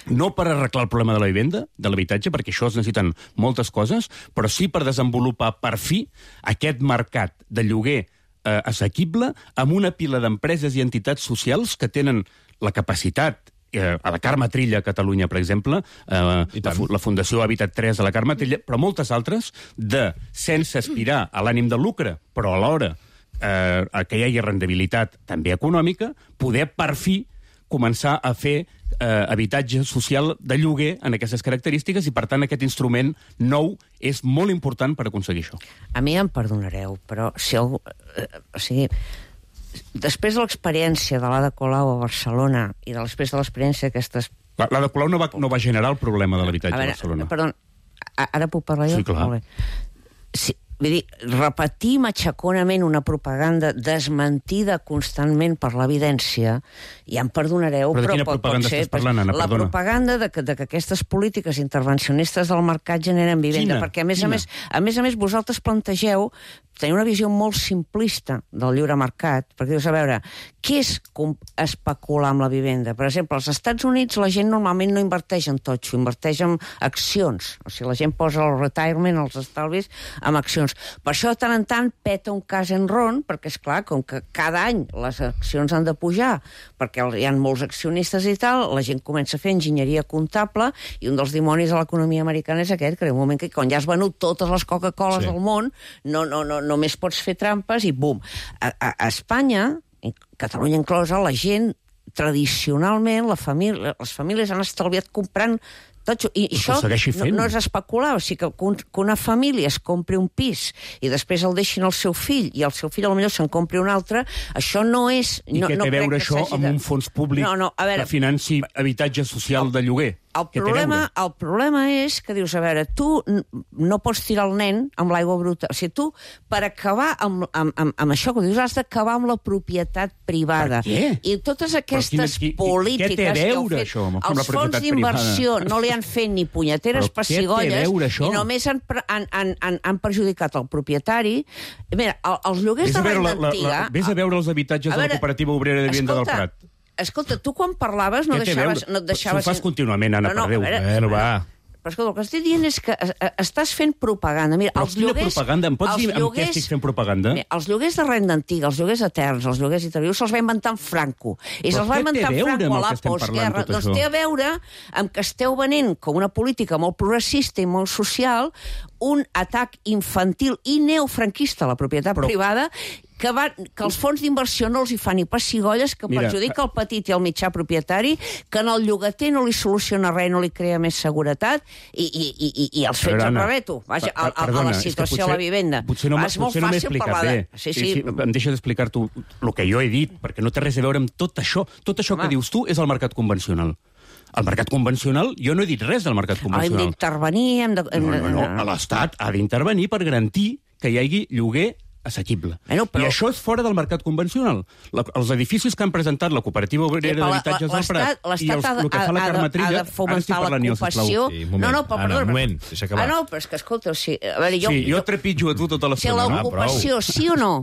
No per arreglar el problema de la vivenda, de l'habitatge, perquè això es necessiten moltes coses, però sí per desenvolupar per fi aquest mercat de lloguer eh, assequible amb una pila d'empreses i entitats socials que tenen la capacitat, eh, a la Carme Trilla a Catalunya, per exemple, eh, la, la Fundació Habitat tres a la Carme Trilla, però moltes altres, de, sense aspirar a l'ànim de lucre, però alhora eh, que hi hagi rendibilitat també econòmica, poder per fi començar a fer eh, habitatge social de lloguer en aquestes característiques i, per tant, aquest instrument nou és molt important per aconseguir això. A mi em perdonareu, però si algú... Eh, o sigui, després de l'experiència de l'Ada Colau a Barcelona i de després de l'experiència d'aquestes... L'Ada Colau no va, no va generar el problema de l'habitatge a, a Barcelona. Perdó, ara puc parlar jo? Sí, clar. Molt bé. Sí, vull dir, repetir matxaconament una propaganda desmentida constantment per l'evidència, ja em perdonareu, però, però pot, pot ser parlant, Anna, la propaganda de que, de que aquestes polítiques intervencionistes del mercat generen vivenda, Quina? perquè a més Quina? a més, a més a més vosaltres plantegeu tenir una visió molt simplista del lliure mercat, perquè dius, a veure, què és especular amb la vivenda? Per exemple, als Estats Units la gent normalment no inverteix en totxo, inverteix en accions. O sigui, la gent posa el retirement, els estalvis, en accions. Per això, de tant en tant, peta un cas en ron, perquè, és clar, com que cada any les accions han de pujar, perquè hi ha molts accionistes i tal, la gent comença a fer enginyeria comptable, i un dels dimonis de l'economia americana és aquest, que en un moment que quan ja has venut totes les Coca-Coles sí. del món, no, no, no, només pots fer trampes i bum. A, a, a Espanya, Catalunya inclosa, la gent, tradicionalment, la família, les famílies han estalviat comprant totxo. I, i això no, no és especular, o sigui que, que una família es compri un pis i després el deixin al seu fill i el seu fill potser se'n compri un altre, això no és... I no, què no té a veure això amb de... un fons públic no, no, a veure, que financi habitatge social de lloguer? El problema, el problema és que dius, a veure, tu no pots tirar el nen amb l'aigua bruta. O sigui, tu, per acabar amb, amb, amb, amb això que dius, has d'acabar amb la propietat privada. Per què? I totes aquestes quina, qui, polítiques què té a veure, que heu fet, això, amb els fons d'inversió no li han fet ni punyeteres però pessigolles i només han, han, han, han, han perjudicat el propietari. Mira, els lloguers vés de renda la, la, antiga... La, vés a veure els habitatges a veure, de la Cooperativa Obrera de Vivenda del Prat. Escolta, tu quan parlaves no deixaves... No et deixaves... Ho fas contínuament, Anna, no, no, per Déu. Veure, Bueno, va. Però escolta, el que estic dient és que estàs fent propaganda. Mira, però els quina lloguers, propaganda? Em pots dir lloguers, amb què estic fent propaganda? Mira, els lloguers de renda antiga, els lloguers eterns, els lloguers intervius, se'ls va inventar en Franco. I però se'ls va inventar en Franco a la postguerra. Doncs té a veure amb que esteu venent com una política molt progressista i molt social un atac infantil i neofranquista a la propietat però... privada que, va, que els fons d'inversió no els hi fan ni pessigolles, que Mira, perjudica el petit i el mitjà propietari, que en el llogater no li soluciona res, no li crea més seguretat, i, i, i, i els fets al rebeto. Vaja, a, a, a la situació potser, a la vivenda. Potser no, és molt potser no fàcil parlar bé. de... Sí, sí. Sí, sí, em deixes explicar-t'ho el que jo he dit, perquè no té res a veure amb tot això. Tot això Home. que dius tu és el mercat convencional. El mercat convencional, jo no he dit res del mercat convencional. Hem d'intervenir... Hem de... No, no, no. L'Estat ha d'intervenir per garantir que hi hagi lloguer assequible. Bueno, però... I això és fora del mercat convencional. La, els edificis que han presentat la Cooperativa Obrera d'Habitatges del Prat i els, el que fa la Carme Trilla... Ha de fomentar l'ocupació... Sí, no, no, però, Anna, perdó, un moment, deixa acabar. Ah, no, però és que, escolta, o sigui, a veure, jo... Sí, jo trepitjo a tu tota l'estona. Si l'ocupació, ah, sí o no?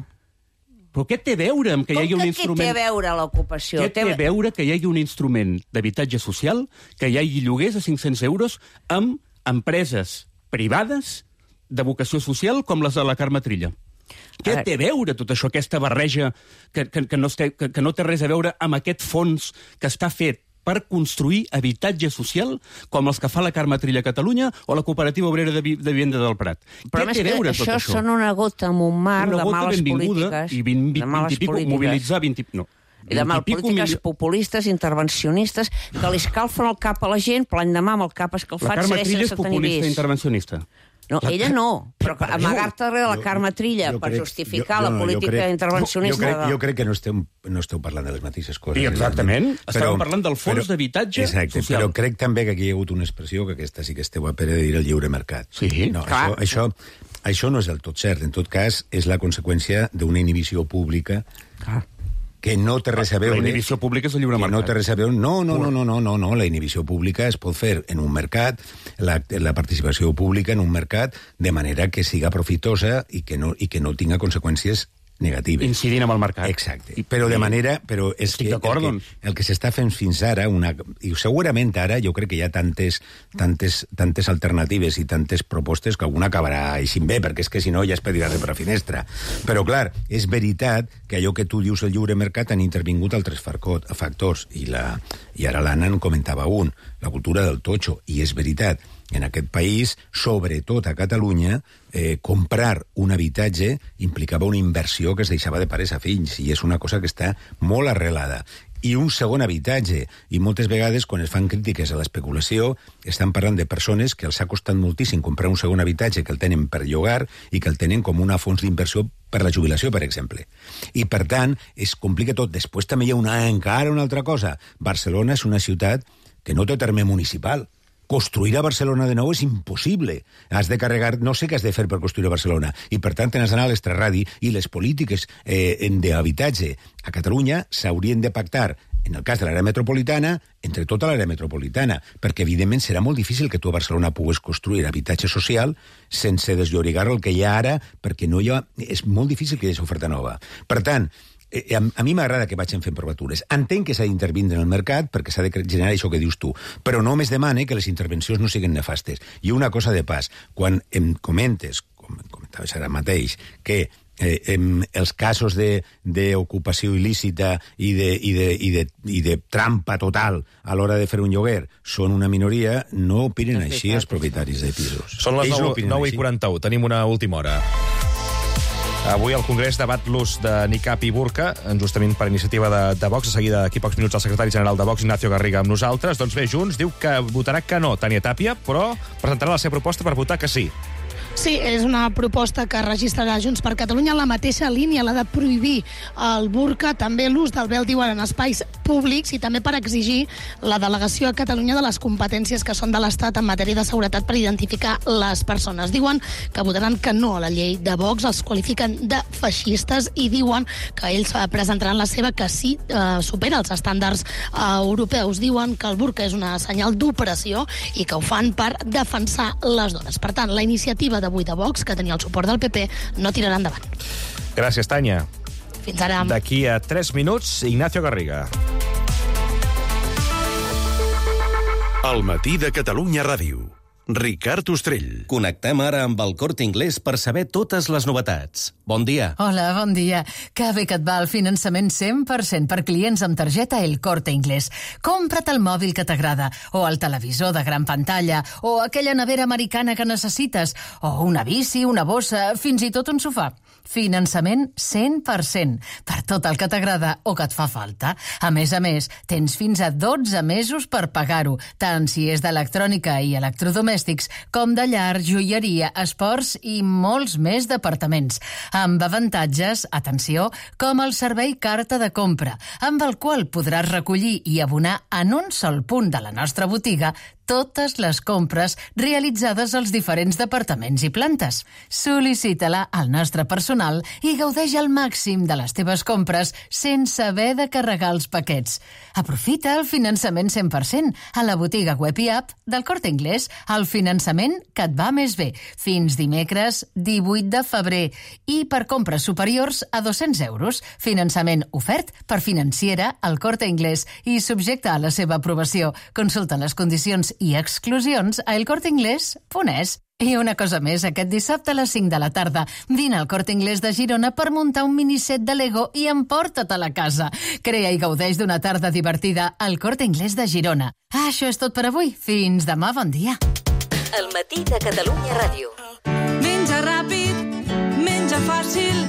Però què té a veure amb que hi hagi un que instrument... Com que té a veure l'ocupació? Què té a veure que hi hagi un instrument d'habitatge social, que hi hagi lloguers a cinc-cents euros amb empreses privades de vocació social com les de la Carme Trilla? Què té a veure tot això, aquesta barreja que, que, que, no té, que, que no té res a veure amb aquest fons que està fet per construir habitatge social com els que fa la Carme Trilla a Catalunya o la Cooperativa Obrera de, Vi de Vivenda del Prat. Però Què té a veure tot això? això? Són una gota en un mar una de males polítiques. I vint, vint, vint i pico, mobilitzar vint i... No. I de mal polítiques mil... populistes, intervencionistes, que li escalfen el cap a la gent, però l'endemà amb el cap escalfat segueix sense tenir vis. La Carme Trilla és populista i intervencionista. No, la... ella no, però amagar-te darrere la Carme Trilla jo, jo per crec, justificar jo, la no, política crec, intervencionista... Jo, jo, crec, jo crec que no esteu, no esteu parlant de les mateixes coses. Sí, exactament. Però, Estàvem parlant del fons d'habitatge social. Però crec també que aquí hi ha hagut una expressió, que aquesta sí que esteu a pere de dir el lliure mercat. Sí, no, clar. Això, això, això no és del tot cert. En tot cas, és la conseqüència d'una inhibició pública clar. que no té res a veure... La inhibició pública és el lliure mercat. No té res a veure... No, no, no, no, no, no, no. La inhibició pública es pot fer en un mercat, la, la participació pública en un mercat, de manera que siga profitosa i que no, i que no tinga conseqüències negatives. Incidint amb el mercat. Exacte. Però de manera... Però és Estic que d'acord, el que, doncs. el que s'està fent fins ara, una, i segurament ara, jo crec que hi ha tantes, tantes, tantes alternatives i tantes propostes que alguna acabarà així bé, perquè és que si no ja es pedirà de per la finestra. Però, clar, és veritat que allò que tu dius el lliure mercat han intervingut altres factors, i, la, i ara l'Anna en comentava un, la cultura del totxo, i és veritat. En aquest país, sobretot a Catalunya, eh, comprar un habitatge implicava una inversió que es deixava de pares a fills, i és una cosa que està molt arrelada. I un segon habitatge, i moltes vegades quan es fan crítiques a l'especulació estan parlant de persones que els ha costat moltíssim comprar un segon habitatge, que el tenen per llogar i que el tenen com una fons d'inversió per la jubilació, per exemple. I per tant, es complica tot. Després també hi ha una, encara una altra cosa. Barcelona és una ciutat que no té terme municipal. Construir a Barcelona de nou és impossible. Has de carregar... No sé què has de fer per construir a Barcelona. I, per tant, has d'anar a l'extraradi, i les polítiques eh, d'habitatge a Catalunya s'haurien de pactar, en el cas de l'àrea metropolitana, entre tota l'àrea metropolitana, perquè, evidentment, serà molt difícil que tu a Barcelona pugues construir habitatge social sense desllorigar el que hi ha ara, perquè no hi ha... és molt difícil que hi hagi oferta nova. Per tant, Eh, a, a mi m'agrada que vagin fent provatures. Entenc que s'ha d'intervindre en el mercat perquè s'ha de generar això que dius tu, però no més demane que les intervencions no siguin nefastes. I una cosa de pas, quan em comentes, com comentaves ara mateix, que eh, em, els casos d'ocupació il·lícita i de, i, de, i, de, i de trampa total a l'hora de fer un lloguer són una minoria, no opinen així els propietaris de pisos. Són les nou i quaranta-u, tenim una última hora. Avui el Congrés debat l'ús de nicab i burca, justament per iniciativa de, de Vox. De seguida, d'aquí pocs minuts, el secretari general de Vox, Ignacio Garriga, amb nosaltres. Doncs bé, Junts diu que votarà que no, Tània Tàpia, però presentarà la seva proposta per votar que sí. Sí, és una proposta que registrarà Junts per Catalunya en la mateixa línia, la de prohibir el burca, també l'ús del vel, diuen, en espais públics, i també per exigir la delegació a Catalunya de les competències que són de l'Estat en matèria de seguretat per identificar les persones. Diuen que votaran que no a la llei de Vox, els qualifiquen de feixistes i diuen que ells presentaran la seva que sí eh, supera els estàndards eh, europeus. Diuen que el burca és una senyal d'opressió i que ho fan per defensar les dones. Per tant, la iniciativa d'avui de Vox, que tenia el suport del P P, no tirarà endavant. Gràcies, Tània. Fins ara. D'aquí a tres minuts, Ignacio Garriga. El matí de Catalunya Ràdio. Ricard Ostrell. Connectem ara amb el Corte Inglés per saber totes les novetats. Bon dia. Hola, bon dia. Que bé que et va el finançament cent per cent per clients amb targeta El Corte Inglés. Compra't el mòbil que t'agrada, o el televisor de gran pantalla, o aquella nevera americana que necessites, o una bici, una bossa, fins i tot un sofà. Finançament cent per cent per tot el que t'agrada o que et fa falta. A més a més, tens fins a dotze mesos per pagar-ho, tant si és d'electrònica i electrodomèstics com de llar, joieria, esports i molts més departaments. Amb avantatges, atenció, com el servei carta de compra, amb el qual podràs recollir i abonar en un sol punt de la nostra botiga totes les compres realitzades als diferents departaments i plantes. Sol·licita-la al nostre personal i gaudeix al màxim de les teves compres sense haver de carregar els paquets. Aprofita el finançament cent per cent a la botiga web i app del Corte Inglés, el finançament que et va més bé, fins dimecres divuit de febrer, i per compres superiors a dos-cents euros. Finançament ofert per Financiera, el Corte Inglés, i subjecte a la seva aprovació. Consulta les condicions i exclusions a el corte inglés punt es. I una cosa més, aquest dissabte a les cinc de la tarda, vine al Corte Inglés de Girona per muntar un miniset de Lego i emporta't a la casa. Crea i gaudeix d'una tarda divertida al Corte Inglés de Girona. Ah, això és tot per avui. Fins demà, bon dia. El matí de Catalunya Ràdio. Menja ràpid, menja fàcil,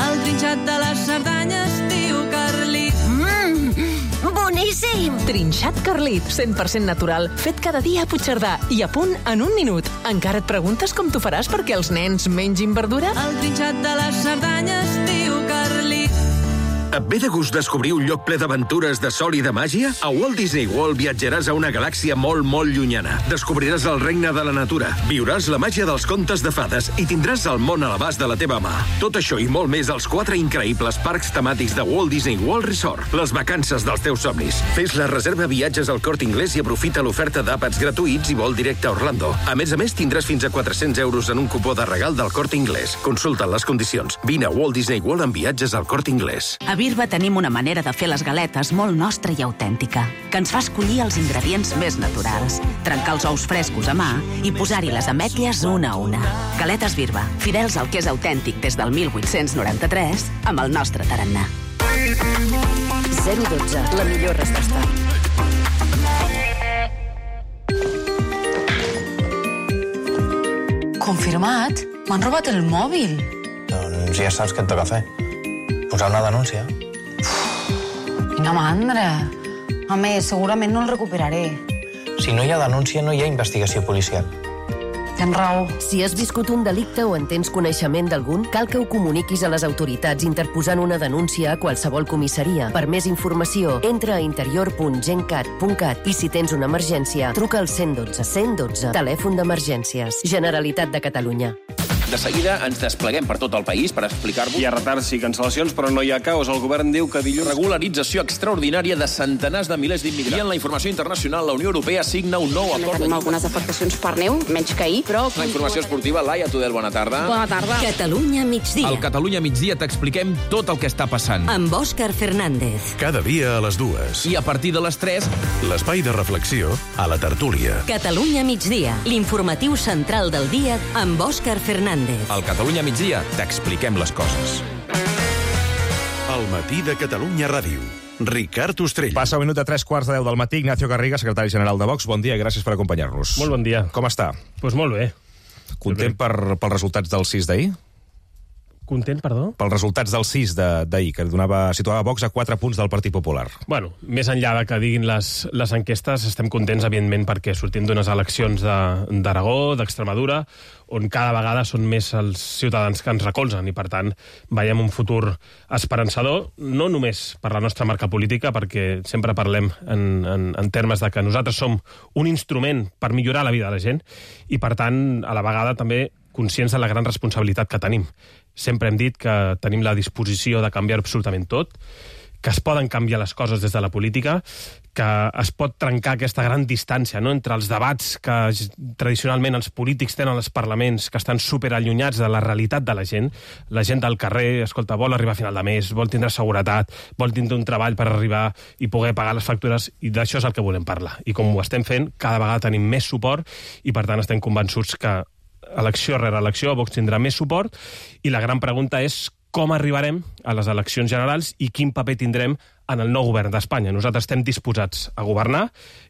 el trinxat de les Cerdanyes, tio Carlit. Mmm, boníssim! Trinxat Carlit, cent per cent natural, fet cada dia a Puigcerdà i a punt en un minut. Encara et preguntes com t'ho faràs perquè els nens mengin verdura? El trinxat de les Cerdanyes, tio Carlit. Et ve de gust descobrir un lloc ple d'aventures de sol i de màgia? A Walt Disney World viatjaràs a una galàxia molt, molt llunyana. Descobriràs el regne de la natura, viuràs la màgia dels contes de fades i tindràs el món a l'abast de la teva mà. Tot això i molt més als quatre increïbles parcs temàtics de Walt Disney World Resort. Les vacances dels teus somnis. Fes la reserva viatges al Corte Inglés i aprofita l'oferta d'àpats gratuïts i vol directe a Orlando. A més a més, tindràs fins a quatre-cents euros en un cupó de regal del Corte Inglés. Consulta les condicions. Vine a Walt Disney World amb viatges al Corte Inglés. A Birba tenim una manera de fer les galetes molt nostra i autèntica, que ens fa escollir els ingredients més naturals, trencar els ous frescos a mà i posar-hi les ametlles una a una. Galetes Birba, fidels al que és autèntic des del mil vuit-cents noranta-tres, amb el nostre tarannà. zero dotze, la millor resposta. Confirmat? M'han robat el mòbil. Doncs ja saps què et toca fer. Posar una denúncia. Quina mandra. A més, segurament no el recuperaré. Si no hi ha denúncia, no hi ha investigació policial. Tens raó. Si has viscut un delicte o en tens coneixement d'algun, cal que ho comuniquis a les autoritats interposant una denúncia a qualsevol comissaria. Per més informació, entra a interior punt gencat punt cat i si tens una emergència, truca al cent dotze cent dotze, telèfon d'emergències. Generalitat de Catalunya. De seguida ens despleguem per tot el país per explicar-vos. Hi ha retards i cancel·lacions, però no hi ha caos. El govern diu que dilluns... Regularització extraordinària de centenars de milers d'immigrants. I en la informació internacional, la Unió Europea signa un nou acord. Tenim algunes afectacions per neu, menys que ahir, però... La informació esportiva, Laia Tudel, bona tarda. Bona tarda. Catalunya migdia. Al Catalunya migdia t'expliquem tot el que està passant. Amb Òscar Fernández. Cada dia a les dues. I a partir de les tres... L'espai de reflexió a la tertúlia. Catalunya migdia, l'informatiu central del dia amb Òscar Fernández. Al Catalunya migdia t'expliquem les coses. El matí de Catalunya Ràdio. Ricard Ostrell. Passa un minut de tres quarts de deu del matí. Ignacio Garriga, secretari general de Vox. Bon dia i gràcies per acompanyar-nos. Molt bon dia. Com està? Doncs pues molt bé. Content per, pels resultats del sis d'ahir? Content, perdó? Pels resultats del sis d'ahir, que donava, situava Vox a quatre punts del Partit Popular. Bueno, més enllà de que diguin les, les enquestes, estem contents, evidentment, perquè sortim d'unes eleccions d'Aragó, de, d'Extremadura, on cada vegada són més els ciutadans que ens recolzen i, per tant, veiem un futur esperançador, no només per la nostra marca política, perquè sempre parlem en, en, en termes de que nosaltres som un instrument per millorar la vida de la gent i, per tant, a la vegada també conscients de la gran responsabilitat que tenim. Sempre hem dit que tenim la disposició de canviar absolutament tot, que es poden canviar les coses des de la política, que es pot trencar aquesta gran distància, no?, entre els debats que tradicionalment els polítics tenen als parlaments, que estan superallunyats de la realitat de la gent. La gent del carrer, escolta, vol arribar a final de mes, vol tindre seguretat, vol tindre un treball per arribar i poder pagar les factures, i d'això és el que volem parlar. I com ho estem fent, cada vegada tenim més suport i, per tant, estem convençuts que elecció rere elecció Vox tindrà més suport i la gran pregunta és com arribarem a les eleccions generals i quin paper tindrem en el nou govern d'Espanya. Nosaltres estem disposats a governar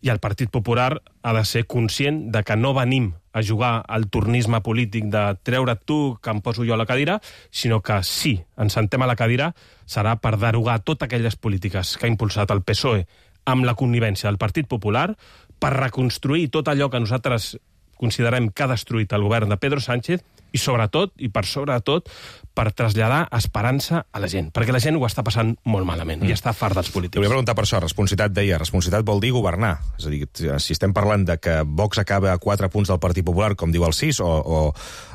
i el Partit Popular ha de ser conscient de que no venim a jugar al tornisme polític de treure't tu que em poso jo a la cadira, sinó que si ens sentem a la cadira serà per derogar totes aquelles polítiques que ha impulsat el P S O E amb la connivència del Partit Popular, per reconstruir tot allò que nosaltres considerem que ha destruït el govern de Pedro Sánchez i, sobretot, i per sobretot, per traslladar esperança a la gent, perquè la gent ho està passant molt malament mm. i està fart dels polítics. Te volia preguntar per això, responsabilitat deia, responsabilitat vol dir governar. És a dir, si estem parlant de que Vox acaba a quatre punts del Partit Popular, com diu el sis, o, o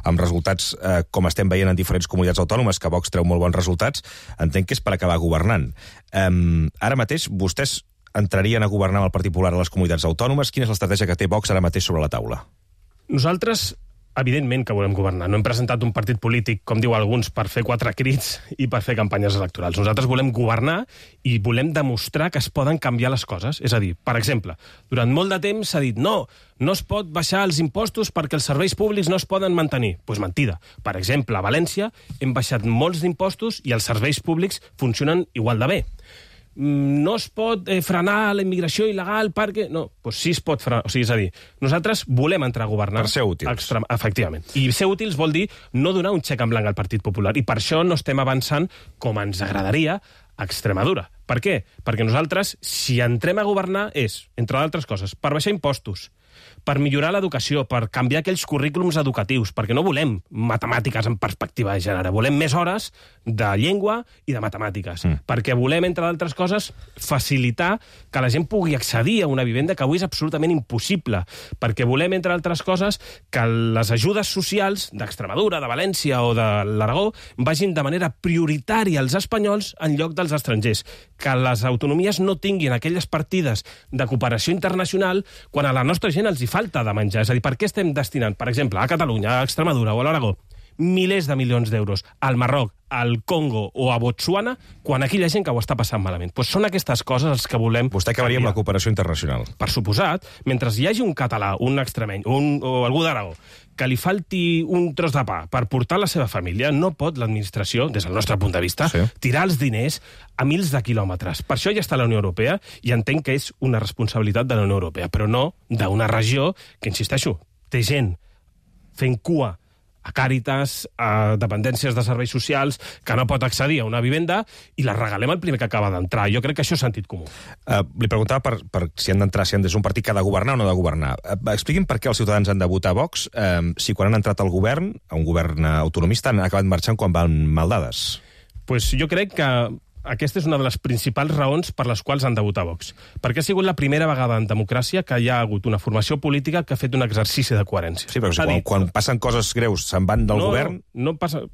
amb resultats eh, com estem veient en diferents comunitats autònomes, que Vox treu molt bons resultats, entenc que és per acabar governant. Um, ara mateix, vostès entrarien a governar amb el Partit Popular a les comunitats autònomes? Quina és l'estratègia que té Vox ara mateix sobre la taula? Nosaltres Evidentment que volem governar. No hem presentat un partit polític, com diu alguns, per fer quatre crits i per fer campanyes electorals. Nosaltres volem governar i volem demostrar que es poden canviar les coses. És a dir, per exemple, durant molt de temps s'ha dit no, no es pot baixar els impostos perquè els serveis públics no es poden mantenir. Doncs pues mentida. Per exemple, a València hem baixat molts d'impostos i els serveis públics funcionen igual de bé. No es pot eh, frenar la immigració il·legal perquè... No, doncs sí es pot frenar. O sigui, és a dir, nosaltres volem entrar a governar... Per ser útils. Extrem... Efectivament. I ser útils vol dir no donar un xec en blanc al Partit Popular. I per això no estem avançant com ens agradaria a Extremadura. Per què? Perquè nosaltres, si entrem a governar, és, entre d'altres coses, per baixar impostos, per millorar l'educació, per canviar aquells currículums educatius, perquè no volem matemàtiques en perspectiva de gènere, volem més hores de llengua i de matemàtiques, mm. perquè volem, entre d'altres coses, facilitar que la gent pugui accedir a una vivenda que avui és absolutament impossible, perquè volem, entre altres coses, que les ajudes socials d'Extremadura, de València o de l'Aragó vagin de manera prioritària als espanyols en lloc dels estrangers, que les autonomies no tinguin aquelles partides de cooperació internacional quan a la nostra gent els hi falta de menjar. És a dir, per què estem destinant, per exemple, a Catalunya, a Extremadura o a l'Aragó, milers de milions d'euros al Marroc, al Congo o a Botswana, quan aquí hi ha gent que ho està passant malament? Pues són aquestes coses els que volem... Vostè acabaria amb la cooperació internacional. Per suposat, mentre hi hagi un català, un extremeny un, o algú d'Aragó que li falti un tros de pa per portar la seva família, no pot l'administració, des del nostre punt de vista, sí. tirar els diners a mils de quilòmetres. Per això ja està la Unió Europea i entenc que és una responsabilitat de la Unió Europea, però no d'una regió que, insisteixo, té gent fent cua a Càritas, a dependències de serveis socials, que no pot accedir a una vivenda i la regalem al primer que acaba d'entrar. Jo crec que això és sentit comú. Uh, li preguntava per, per si han d'entrar, si han de ser un partit que ha de governar o no ha de governar. Uh, expliquin per què els ciutadans han de votar Vox, uh, si quan han entrat al govern, a un govern autonomista, han acabat marxant quan van mal dades. Pues jo crec que aquesta és una de les principals raons per les quals han de votar Vox. Perquè ha sigut la primera vegada en democràcia que hi ha hagut una formació política que ha fet un exercici de coherència. Sí, però si quan, quan passen coses greus se'n van del no, govern... No, no passa...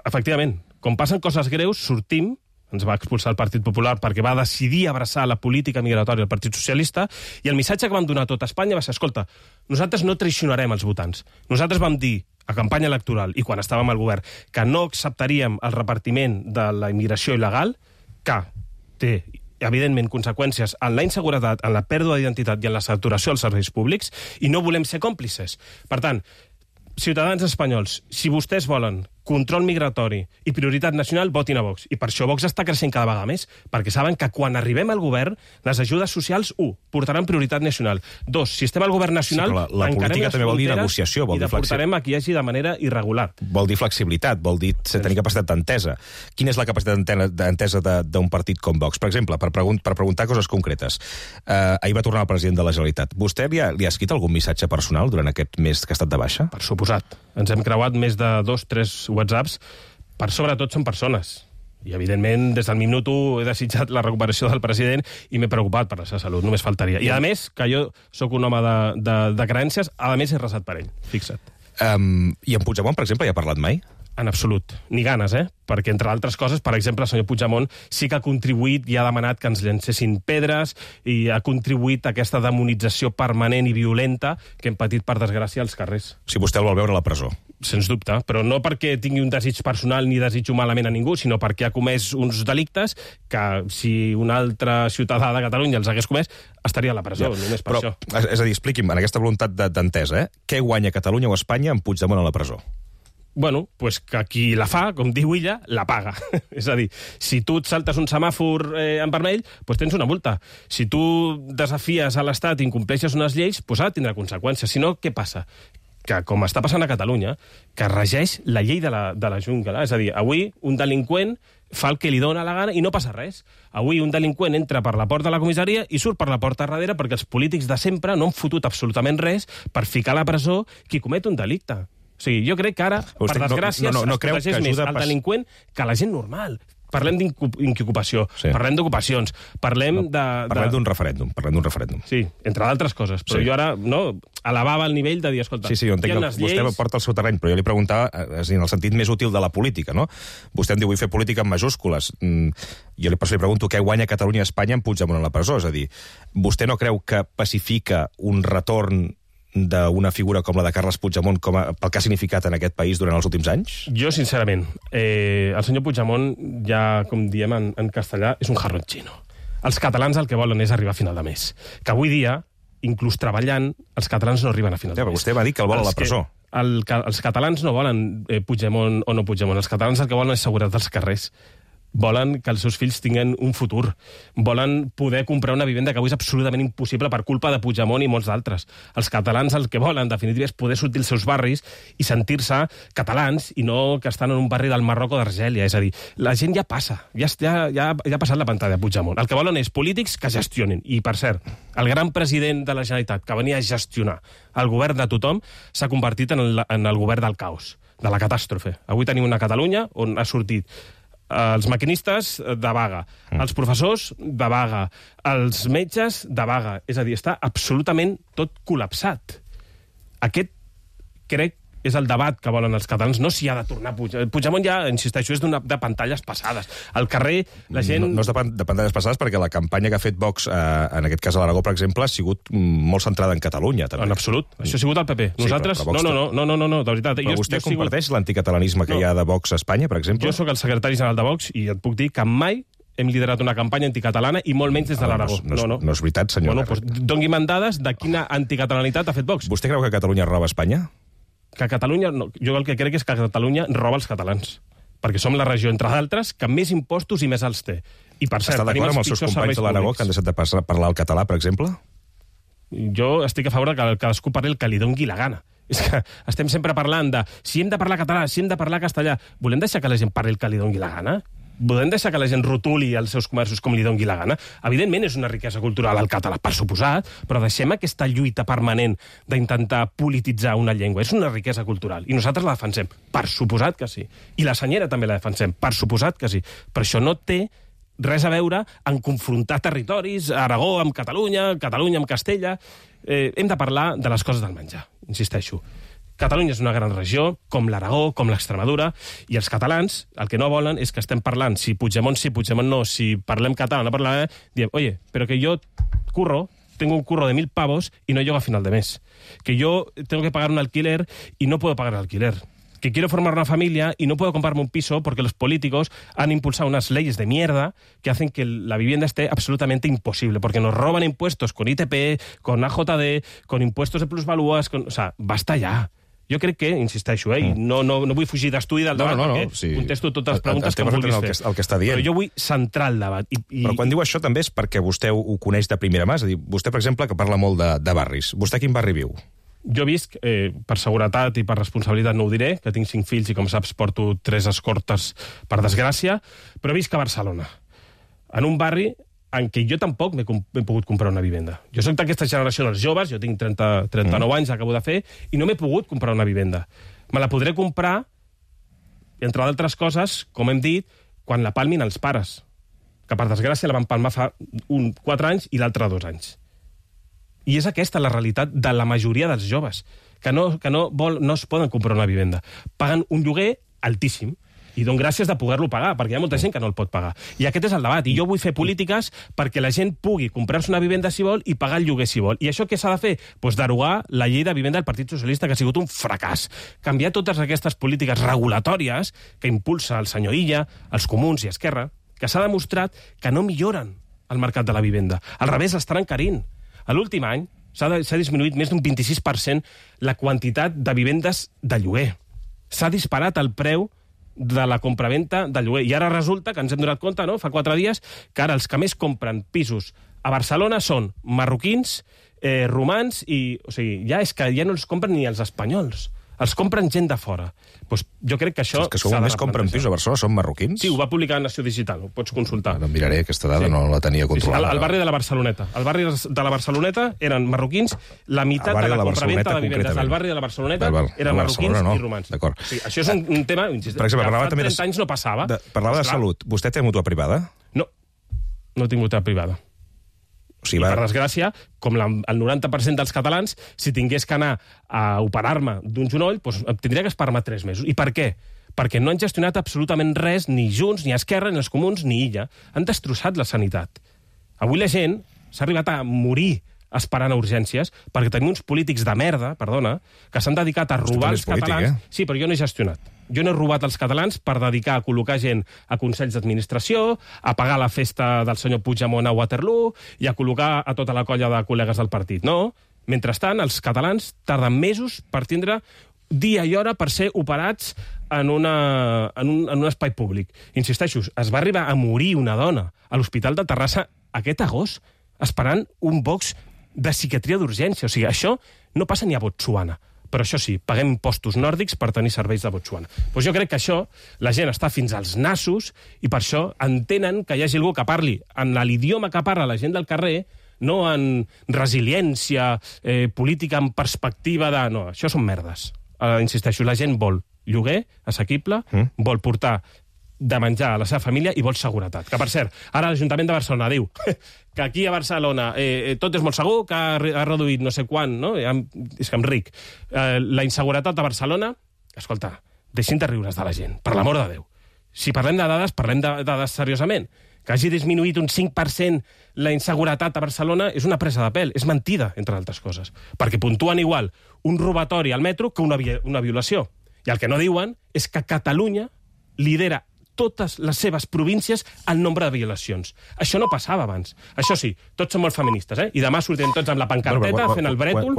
Efectivament, quan passen coses greus, sortim, ens va expulsar el Partit Popular perquè va decidir abraçar la política migratòria del Partit Socialista, i el missatge que vam donar a tot Espanya va ser, escolta, nosaltres no traicionarem els votants. Nosaltres vam dir a campanya electoral i quan estàvem al govern que no acceptaríem el repartiment de la immigració il·legal, que té, evidentment, conseqüències en la inseguretat, en la pèrdua d'identitat i en la saturació dels serveis públics, i no volem ser còmplices. Per tant, ciutadans espanyols, si vostès volen control migratori i prioritat nacional, votin a Vox. I per això Vox està creixent cada vegada més, perquè saben que quan arribem al govern, les ajudes socials, un, portaran prioritat nacional. Dos, si estem al govern nacional, sí, la, la política també vol dir negociació, vol i deportarem a qui hi hagi de manera irregular. Vol dir flexibilitat, vol dir tenir capacitat d'entesa. Quina és la capacitat d'entesa d'un partit com Vox? Per exemple, per, pregun per preguntar coses concretes. Uh, ahir va tornar el president de la Generalitat. Vostè li ha, li ha escrit algun missatge personal durant aquest mes que ha estat de baixa? Per suposat. Ens hem creuat més de dos, tres whatsapps. Per sobretot són persones. I, evidentment, des del minut u he desitjat la recuperació del president i m'he preocupat per la seva salut, només faltaria. I, a més, que jo sóc un home de, de, de creences, a més he resat per ell, fixa't. Um, I en Puigdemont, per exemple, hi ha parlat mai? En absolut. Ni ganes, eh? Perquè, entre altres coses, per exemple, el senyor Puigdemont sí que ha contribuït i ha demanat que ens llancessin pedres i ha contribuït a aquesta demonització permanent i violenta que hem patit, per desgràcia, als carrers. Si vostè el vol veure a la presó. Sens dubte, però no perquè tingui un desig personal ni desitjo malament a ningú, sinó perquè ha comès uns delictes que, si un altre ciutadà de Catalunya els hagués comès, estaria a la presó, ja, només per però, això. És a dir, expliqui'm, en aquesta voluntat d'entesa, eh? Què guanya Catalunya o Espanya amb Puigdemont a la presó? Bueno, pues que qui la fa, com diu ella, la paga. És a dir, si tu et saltes un semàfor eh, en vermell, pues tens una multa. Si tu desafies a l'Estat i incompleixes unes lleis, pues ha de tindre conseqüències. Si no, què passa? Que, com està passant a Catalunya, que regeix la llei de la, de la jungla. És a dir, avui un delinqüent fa el que li dóna la gana i no passa res. Avui un delinqüent entra per la porta de la comissaria i surt per la porta darrere perquè els polítics de sempre no han fotut absolutament res per ficar a la presó qui comet un delicte. O sigui, jo crec que ara, per desgràcia, no, no, no es protegeix més el delinqüent que la gent normal. Parlem d'inocupació, sí. Parlem d'ocupacions, parlem no, de... Parlem d'un referèndum, parlem d'un referèndum. Sí, entre d'altres coses, però sí. Jo ara no, elevava el nivell de dir, escolta... Sí, sí, jo entenc que vostè lleis... porta el seu terreny, però jo li preguntava, és dir, en el sentit més útil de la política, no? Vostè em diu, vull fer política en majúscules. Mm, jo li, li pregunto què guanya Catalunya i Espanya en Puigdemont a la presó, és a dir, vostè no creu que pacifica un retorn d'una figura com la de Carles Puigdemont com a, pel que ha significat en aquest país durant els últims anys? Jo, sincerament, eh, el senyor Puigdemont, ja com diem en, en castellà, és un jarrón xino. Els catalans el que volen és arribar a final de mes. Que avui dia, inclús treballant, els catalans no arriben a final de ja, mes. Vostè va dir que el vol a la presó. El, els catalans no volen eh, Puigdemont o no Puigdemont. Els catalans el que volen és seguretat dels carrers. Volen que els seus fills tinguin un futur. Volen poder comprar una vivenda que avui és absolutament impossible per culpa de Puigdemont i molts d'altres. Els catalans el que volen, en definitiva, és poder sortir als seus barris i sentir-se catalans i no que estan en un barri del Marroc o d'Argèlia. És a dir, la gent ja passa, ja, ja, ja, ja ha passat la pantalla de Puigdemont. El que volen és polítics que gestionin. I, per cert, el gran president de la Generalitat que venia a gestionar el govern de tothom s'ha convertit en el, en el govern del caos, de la catàstrofe. Avui tenim una Catalunya on ha sortit els maquinistes de vaga, mm. els professors de vaga, els metges de vaga. És a dir, està absolutament tot col·lapsat. Aquest, crec, és el debat que volen els catalans, no si ha de tornar Puigdemont. Puigdemont ja, insisteixo, és de pantalles passades. Al carrer, la gent... No, no és de, de pantalles passades perquè la campanya que ha fet Vox, eh, en aquest cas a l'Aragó, per exemple, ha sigut molt centrada en Catalunya, també. En absolut. Això ha sigut el P P. Nosaltres... Sí, però, però no, no, no, no, no, de veritat. Però jo, vostè jo comparteix sigut... l'anticatalanisme que no. hi ha de Vox a Espanya, per exemple? Jo sóc el secretari general de Vox i et puc dir que mai hem liderat una campanya anticatalana i molt menys des de l'Aragó. No, no, no, no és veritat, senyor. Bueno, doncs, doni'm dades de quina anticatalanitat ha fet Vox. Vostè creu que Catalunya roba Espanya? Que Catalunya... No, jo el que crec és que Catalunya roba els catalans. Perquè som la regió, entre d'altres, que més impostos i més alts té. I, per cert, està d'acord amb els seus companys de l'Aragó que han deixat de parlar el català, per exemple? Jo estic a favor que cadascú parli el que li doni la gana. És que estem sempre parlant de si hem de parlar català, si hem de parlar castellà. Volem deixar que la gent parli el que li doni la gana? Volem deixar que la gent rotuli els seus comerços com li doni la gana? Evidentment és una riquesa cultural el català, per suposat, però deixem aquesta lluita permanent d'intentar polititzar una llengua. És una riquesa cultural i nosaltres la defensem. Per suposat que sí. I la senyera també la defensem. Per suposat que sí. Però això no té res a veure en confrontar territoris, Aragó amb Catalunya, Catalunya amb Castella. Eh, hem de parlar de les coses del menjar, insisteixo. Catalunya és una gran regió, com l'Aragó, com l'Extremadura, i els catalans el que no volen és que estem parlant si Puigdemont sí, Puigdemont no, si parlem català, no parlem... Diem, oye, pero que yo curro, tengo un curro de mil pavos y no llego a final de mes. Que yo tengo que pagar un alquiler y no puedo pagar el alquiler. Que quiero formar una familia y no puedo comprarme un piso porque los políticos han impulsado unas leyes de mierda que hacen que la vivienda esté absolutamente imposible, porque nos roban impuestos con I T P, con A J D, con impuestos de plusvalúas, con... o sea, basta ja. Jo crec que, insisteixo, eh, no, no, no vull fugir d'estudi del debat, no, no, no, perquè sí. contesto totes les preguntes Estem que em vulguis el fer. Que, el que està dient. Però jo vull centrar el debat. I, i... Però quan diu això també és perquè vostè ho, ho coneix de primera mà. És a dir, vostè, per exemple, que parla molt de, de barris. Vostè a quin barri viu? Jo visc, eh, per seguretat i per responsabilitat no ho diré, que tinc cinc fills i, com saps, porto tres escortes per desgràcia, però visc a Barcelona. En un barri en què jo tampoc m'he pogut comprar una vivenda. Jo soc d'aquesta generació dels joves, jo tinc trenta, trenta-nou mm. anys, acabo de fer, i no m'he pogut comprar una vivenda. Me la podré comprar, entre d'altres coses, com hem dit, quan la palmin els pares, que per desgràcia la van palmar fa un, quatre anys i l'altre dos anys. I és aquesta la realitat de la majoria dels joves, que no, que no, vol, no es poden comprar una vivenda. Paguen un lloguer altíssim, i dono gràcies de poder-lo pagar, perquè hi ha molta gent que no el pot pagar. I aquest és el debat, i jo vull fer polítiques perquè la gent pugui comprar-se una vivenda si vol i pagar el lloguer si vol. I això què s'ha de fer? Pues derogar la llei de vivenda del Partit Socialista, que ha sigut un fracàs. Canviar totes aquestes polítiques regulatòries que impulsa el senyor Illa, els comuns i Esquerra, que s'ha demostrat que no milloren el mercat de la vivenda. Al revés, l'estan encarint. A l'últim any s'ha disminuït més d'un vint-i-sis per cent la quantitat de vivendes de lloguer. S'ha disparat el preu de la compraventa de lloguer. I ara resulta que ens hem donat compte, no?, fa quatre dies, que ara els que més compren pisos a Barcelona són marroquins, eh, romans i... O sigui, ja és que ja no els compren ni els espanyols. Els compren gent de fora. Pues jo crec que això... Els que som més compren pisos a Barcelona són marroquins? Sí, ho va publicar Nació Digital, ho pots consultar. No, miraré, aquesta dada sí. no la tenia controlada. Sí, sí, al, al barri de la Barceloneta. Al barri de la Barceloneta eren marroquins, la meitat de la, la compraventa de vivendes al barri de la Barceloneta val, val. eren marroquins no. i romans. Sí, això és un, un tema... Per exemple, fa també trenta anys no passava. De, parlava de salut. Vostè té mútua privada? No, no tinc mútua privada. O sigui, I, per desgràcia, com la, el noranta per cent dels catalans, si tingués que anar a operar-me d'un genoll, doncs tindria que esperar-me tres mesos. I per què? Perquè no han gestionat absolutament res, ni Junts, ni Esquerra, ni els comuns, ni Illa. Han destrossat la sanitat. Avui la gent s'ha arribat a morir esperant a urgències, perquè tenim uns polítics de merda, perdona, que s'han dedicat a robar els polític, catalans... eh? Sí, però jo no he gestionat. Jo no he robat els catalans per dedicar a col·locar gent a consells d'administració, a pagar la festa del senyor Puigdemont a Waterloo i a col·locar a tota la colla de col·legues del partit. No. Mentrestant, els catalans tarden mesos per tindre dia i hora per ser operats en, una, en, un, en un espai públic. Insisteixo, es va arribar a morir una dona a l'Hospital de Terrassa aquest agost esperant un box de psiquiatria d'urgència. O sigui, això no passa ni a Botswana. Però això sí, paguem impostos nòrdics per tenir serveis de Botswana. Doncs jo crec que això, la gent està fins als nassos i per això entenen que hi hagi algú que parli en l'idioma que parla la gent del carrer, no en resiliència, eh, política en perspectiva de... No, això són merdes. Uh, insisteixo, la gent vol lloguer assequible, mm. vol portar de menjar a la seva família i vol seguretat. Que, per cert, ara l'Ajuntament de Barcelona diu que aquí a Barcelona eh, tot és molt segur, que ha, ha reduït no sé quan, no? És que em ric. Eh, la inseguretat a Barcelona... Escolta, deixin de riure's de la gent, per l'amor de Déu. Si parlem de dades, parlem de dades seriosament. Que hagi disminuït un cinc per cent la inseguretat a Barcelona és una presa de pèl, és mentida, entre altres coses. Perquè puntuen igual un robatori al metro que una, una violació. I el que no diuen és que Catalunya lidera totes les seves províncies en nombre de violacions. Això no passava abans. Això sí, tots són molt feministes, eh? I demà sortirem tots amb la pancarteta fent el brètol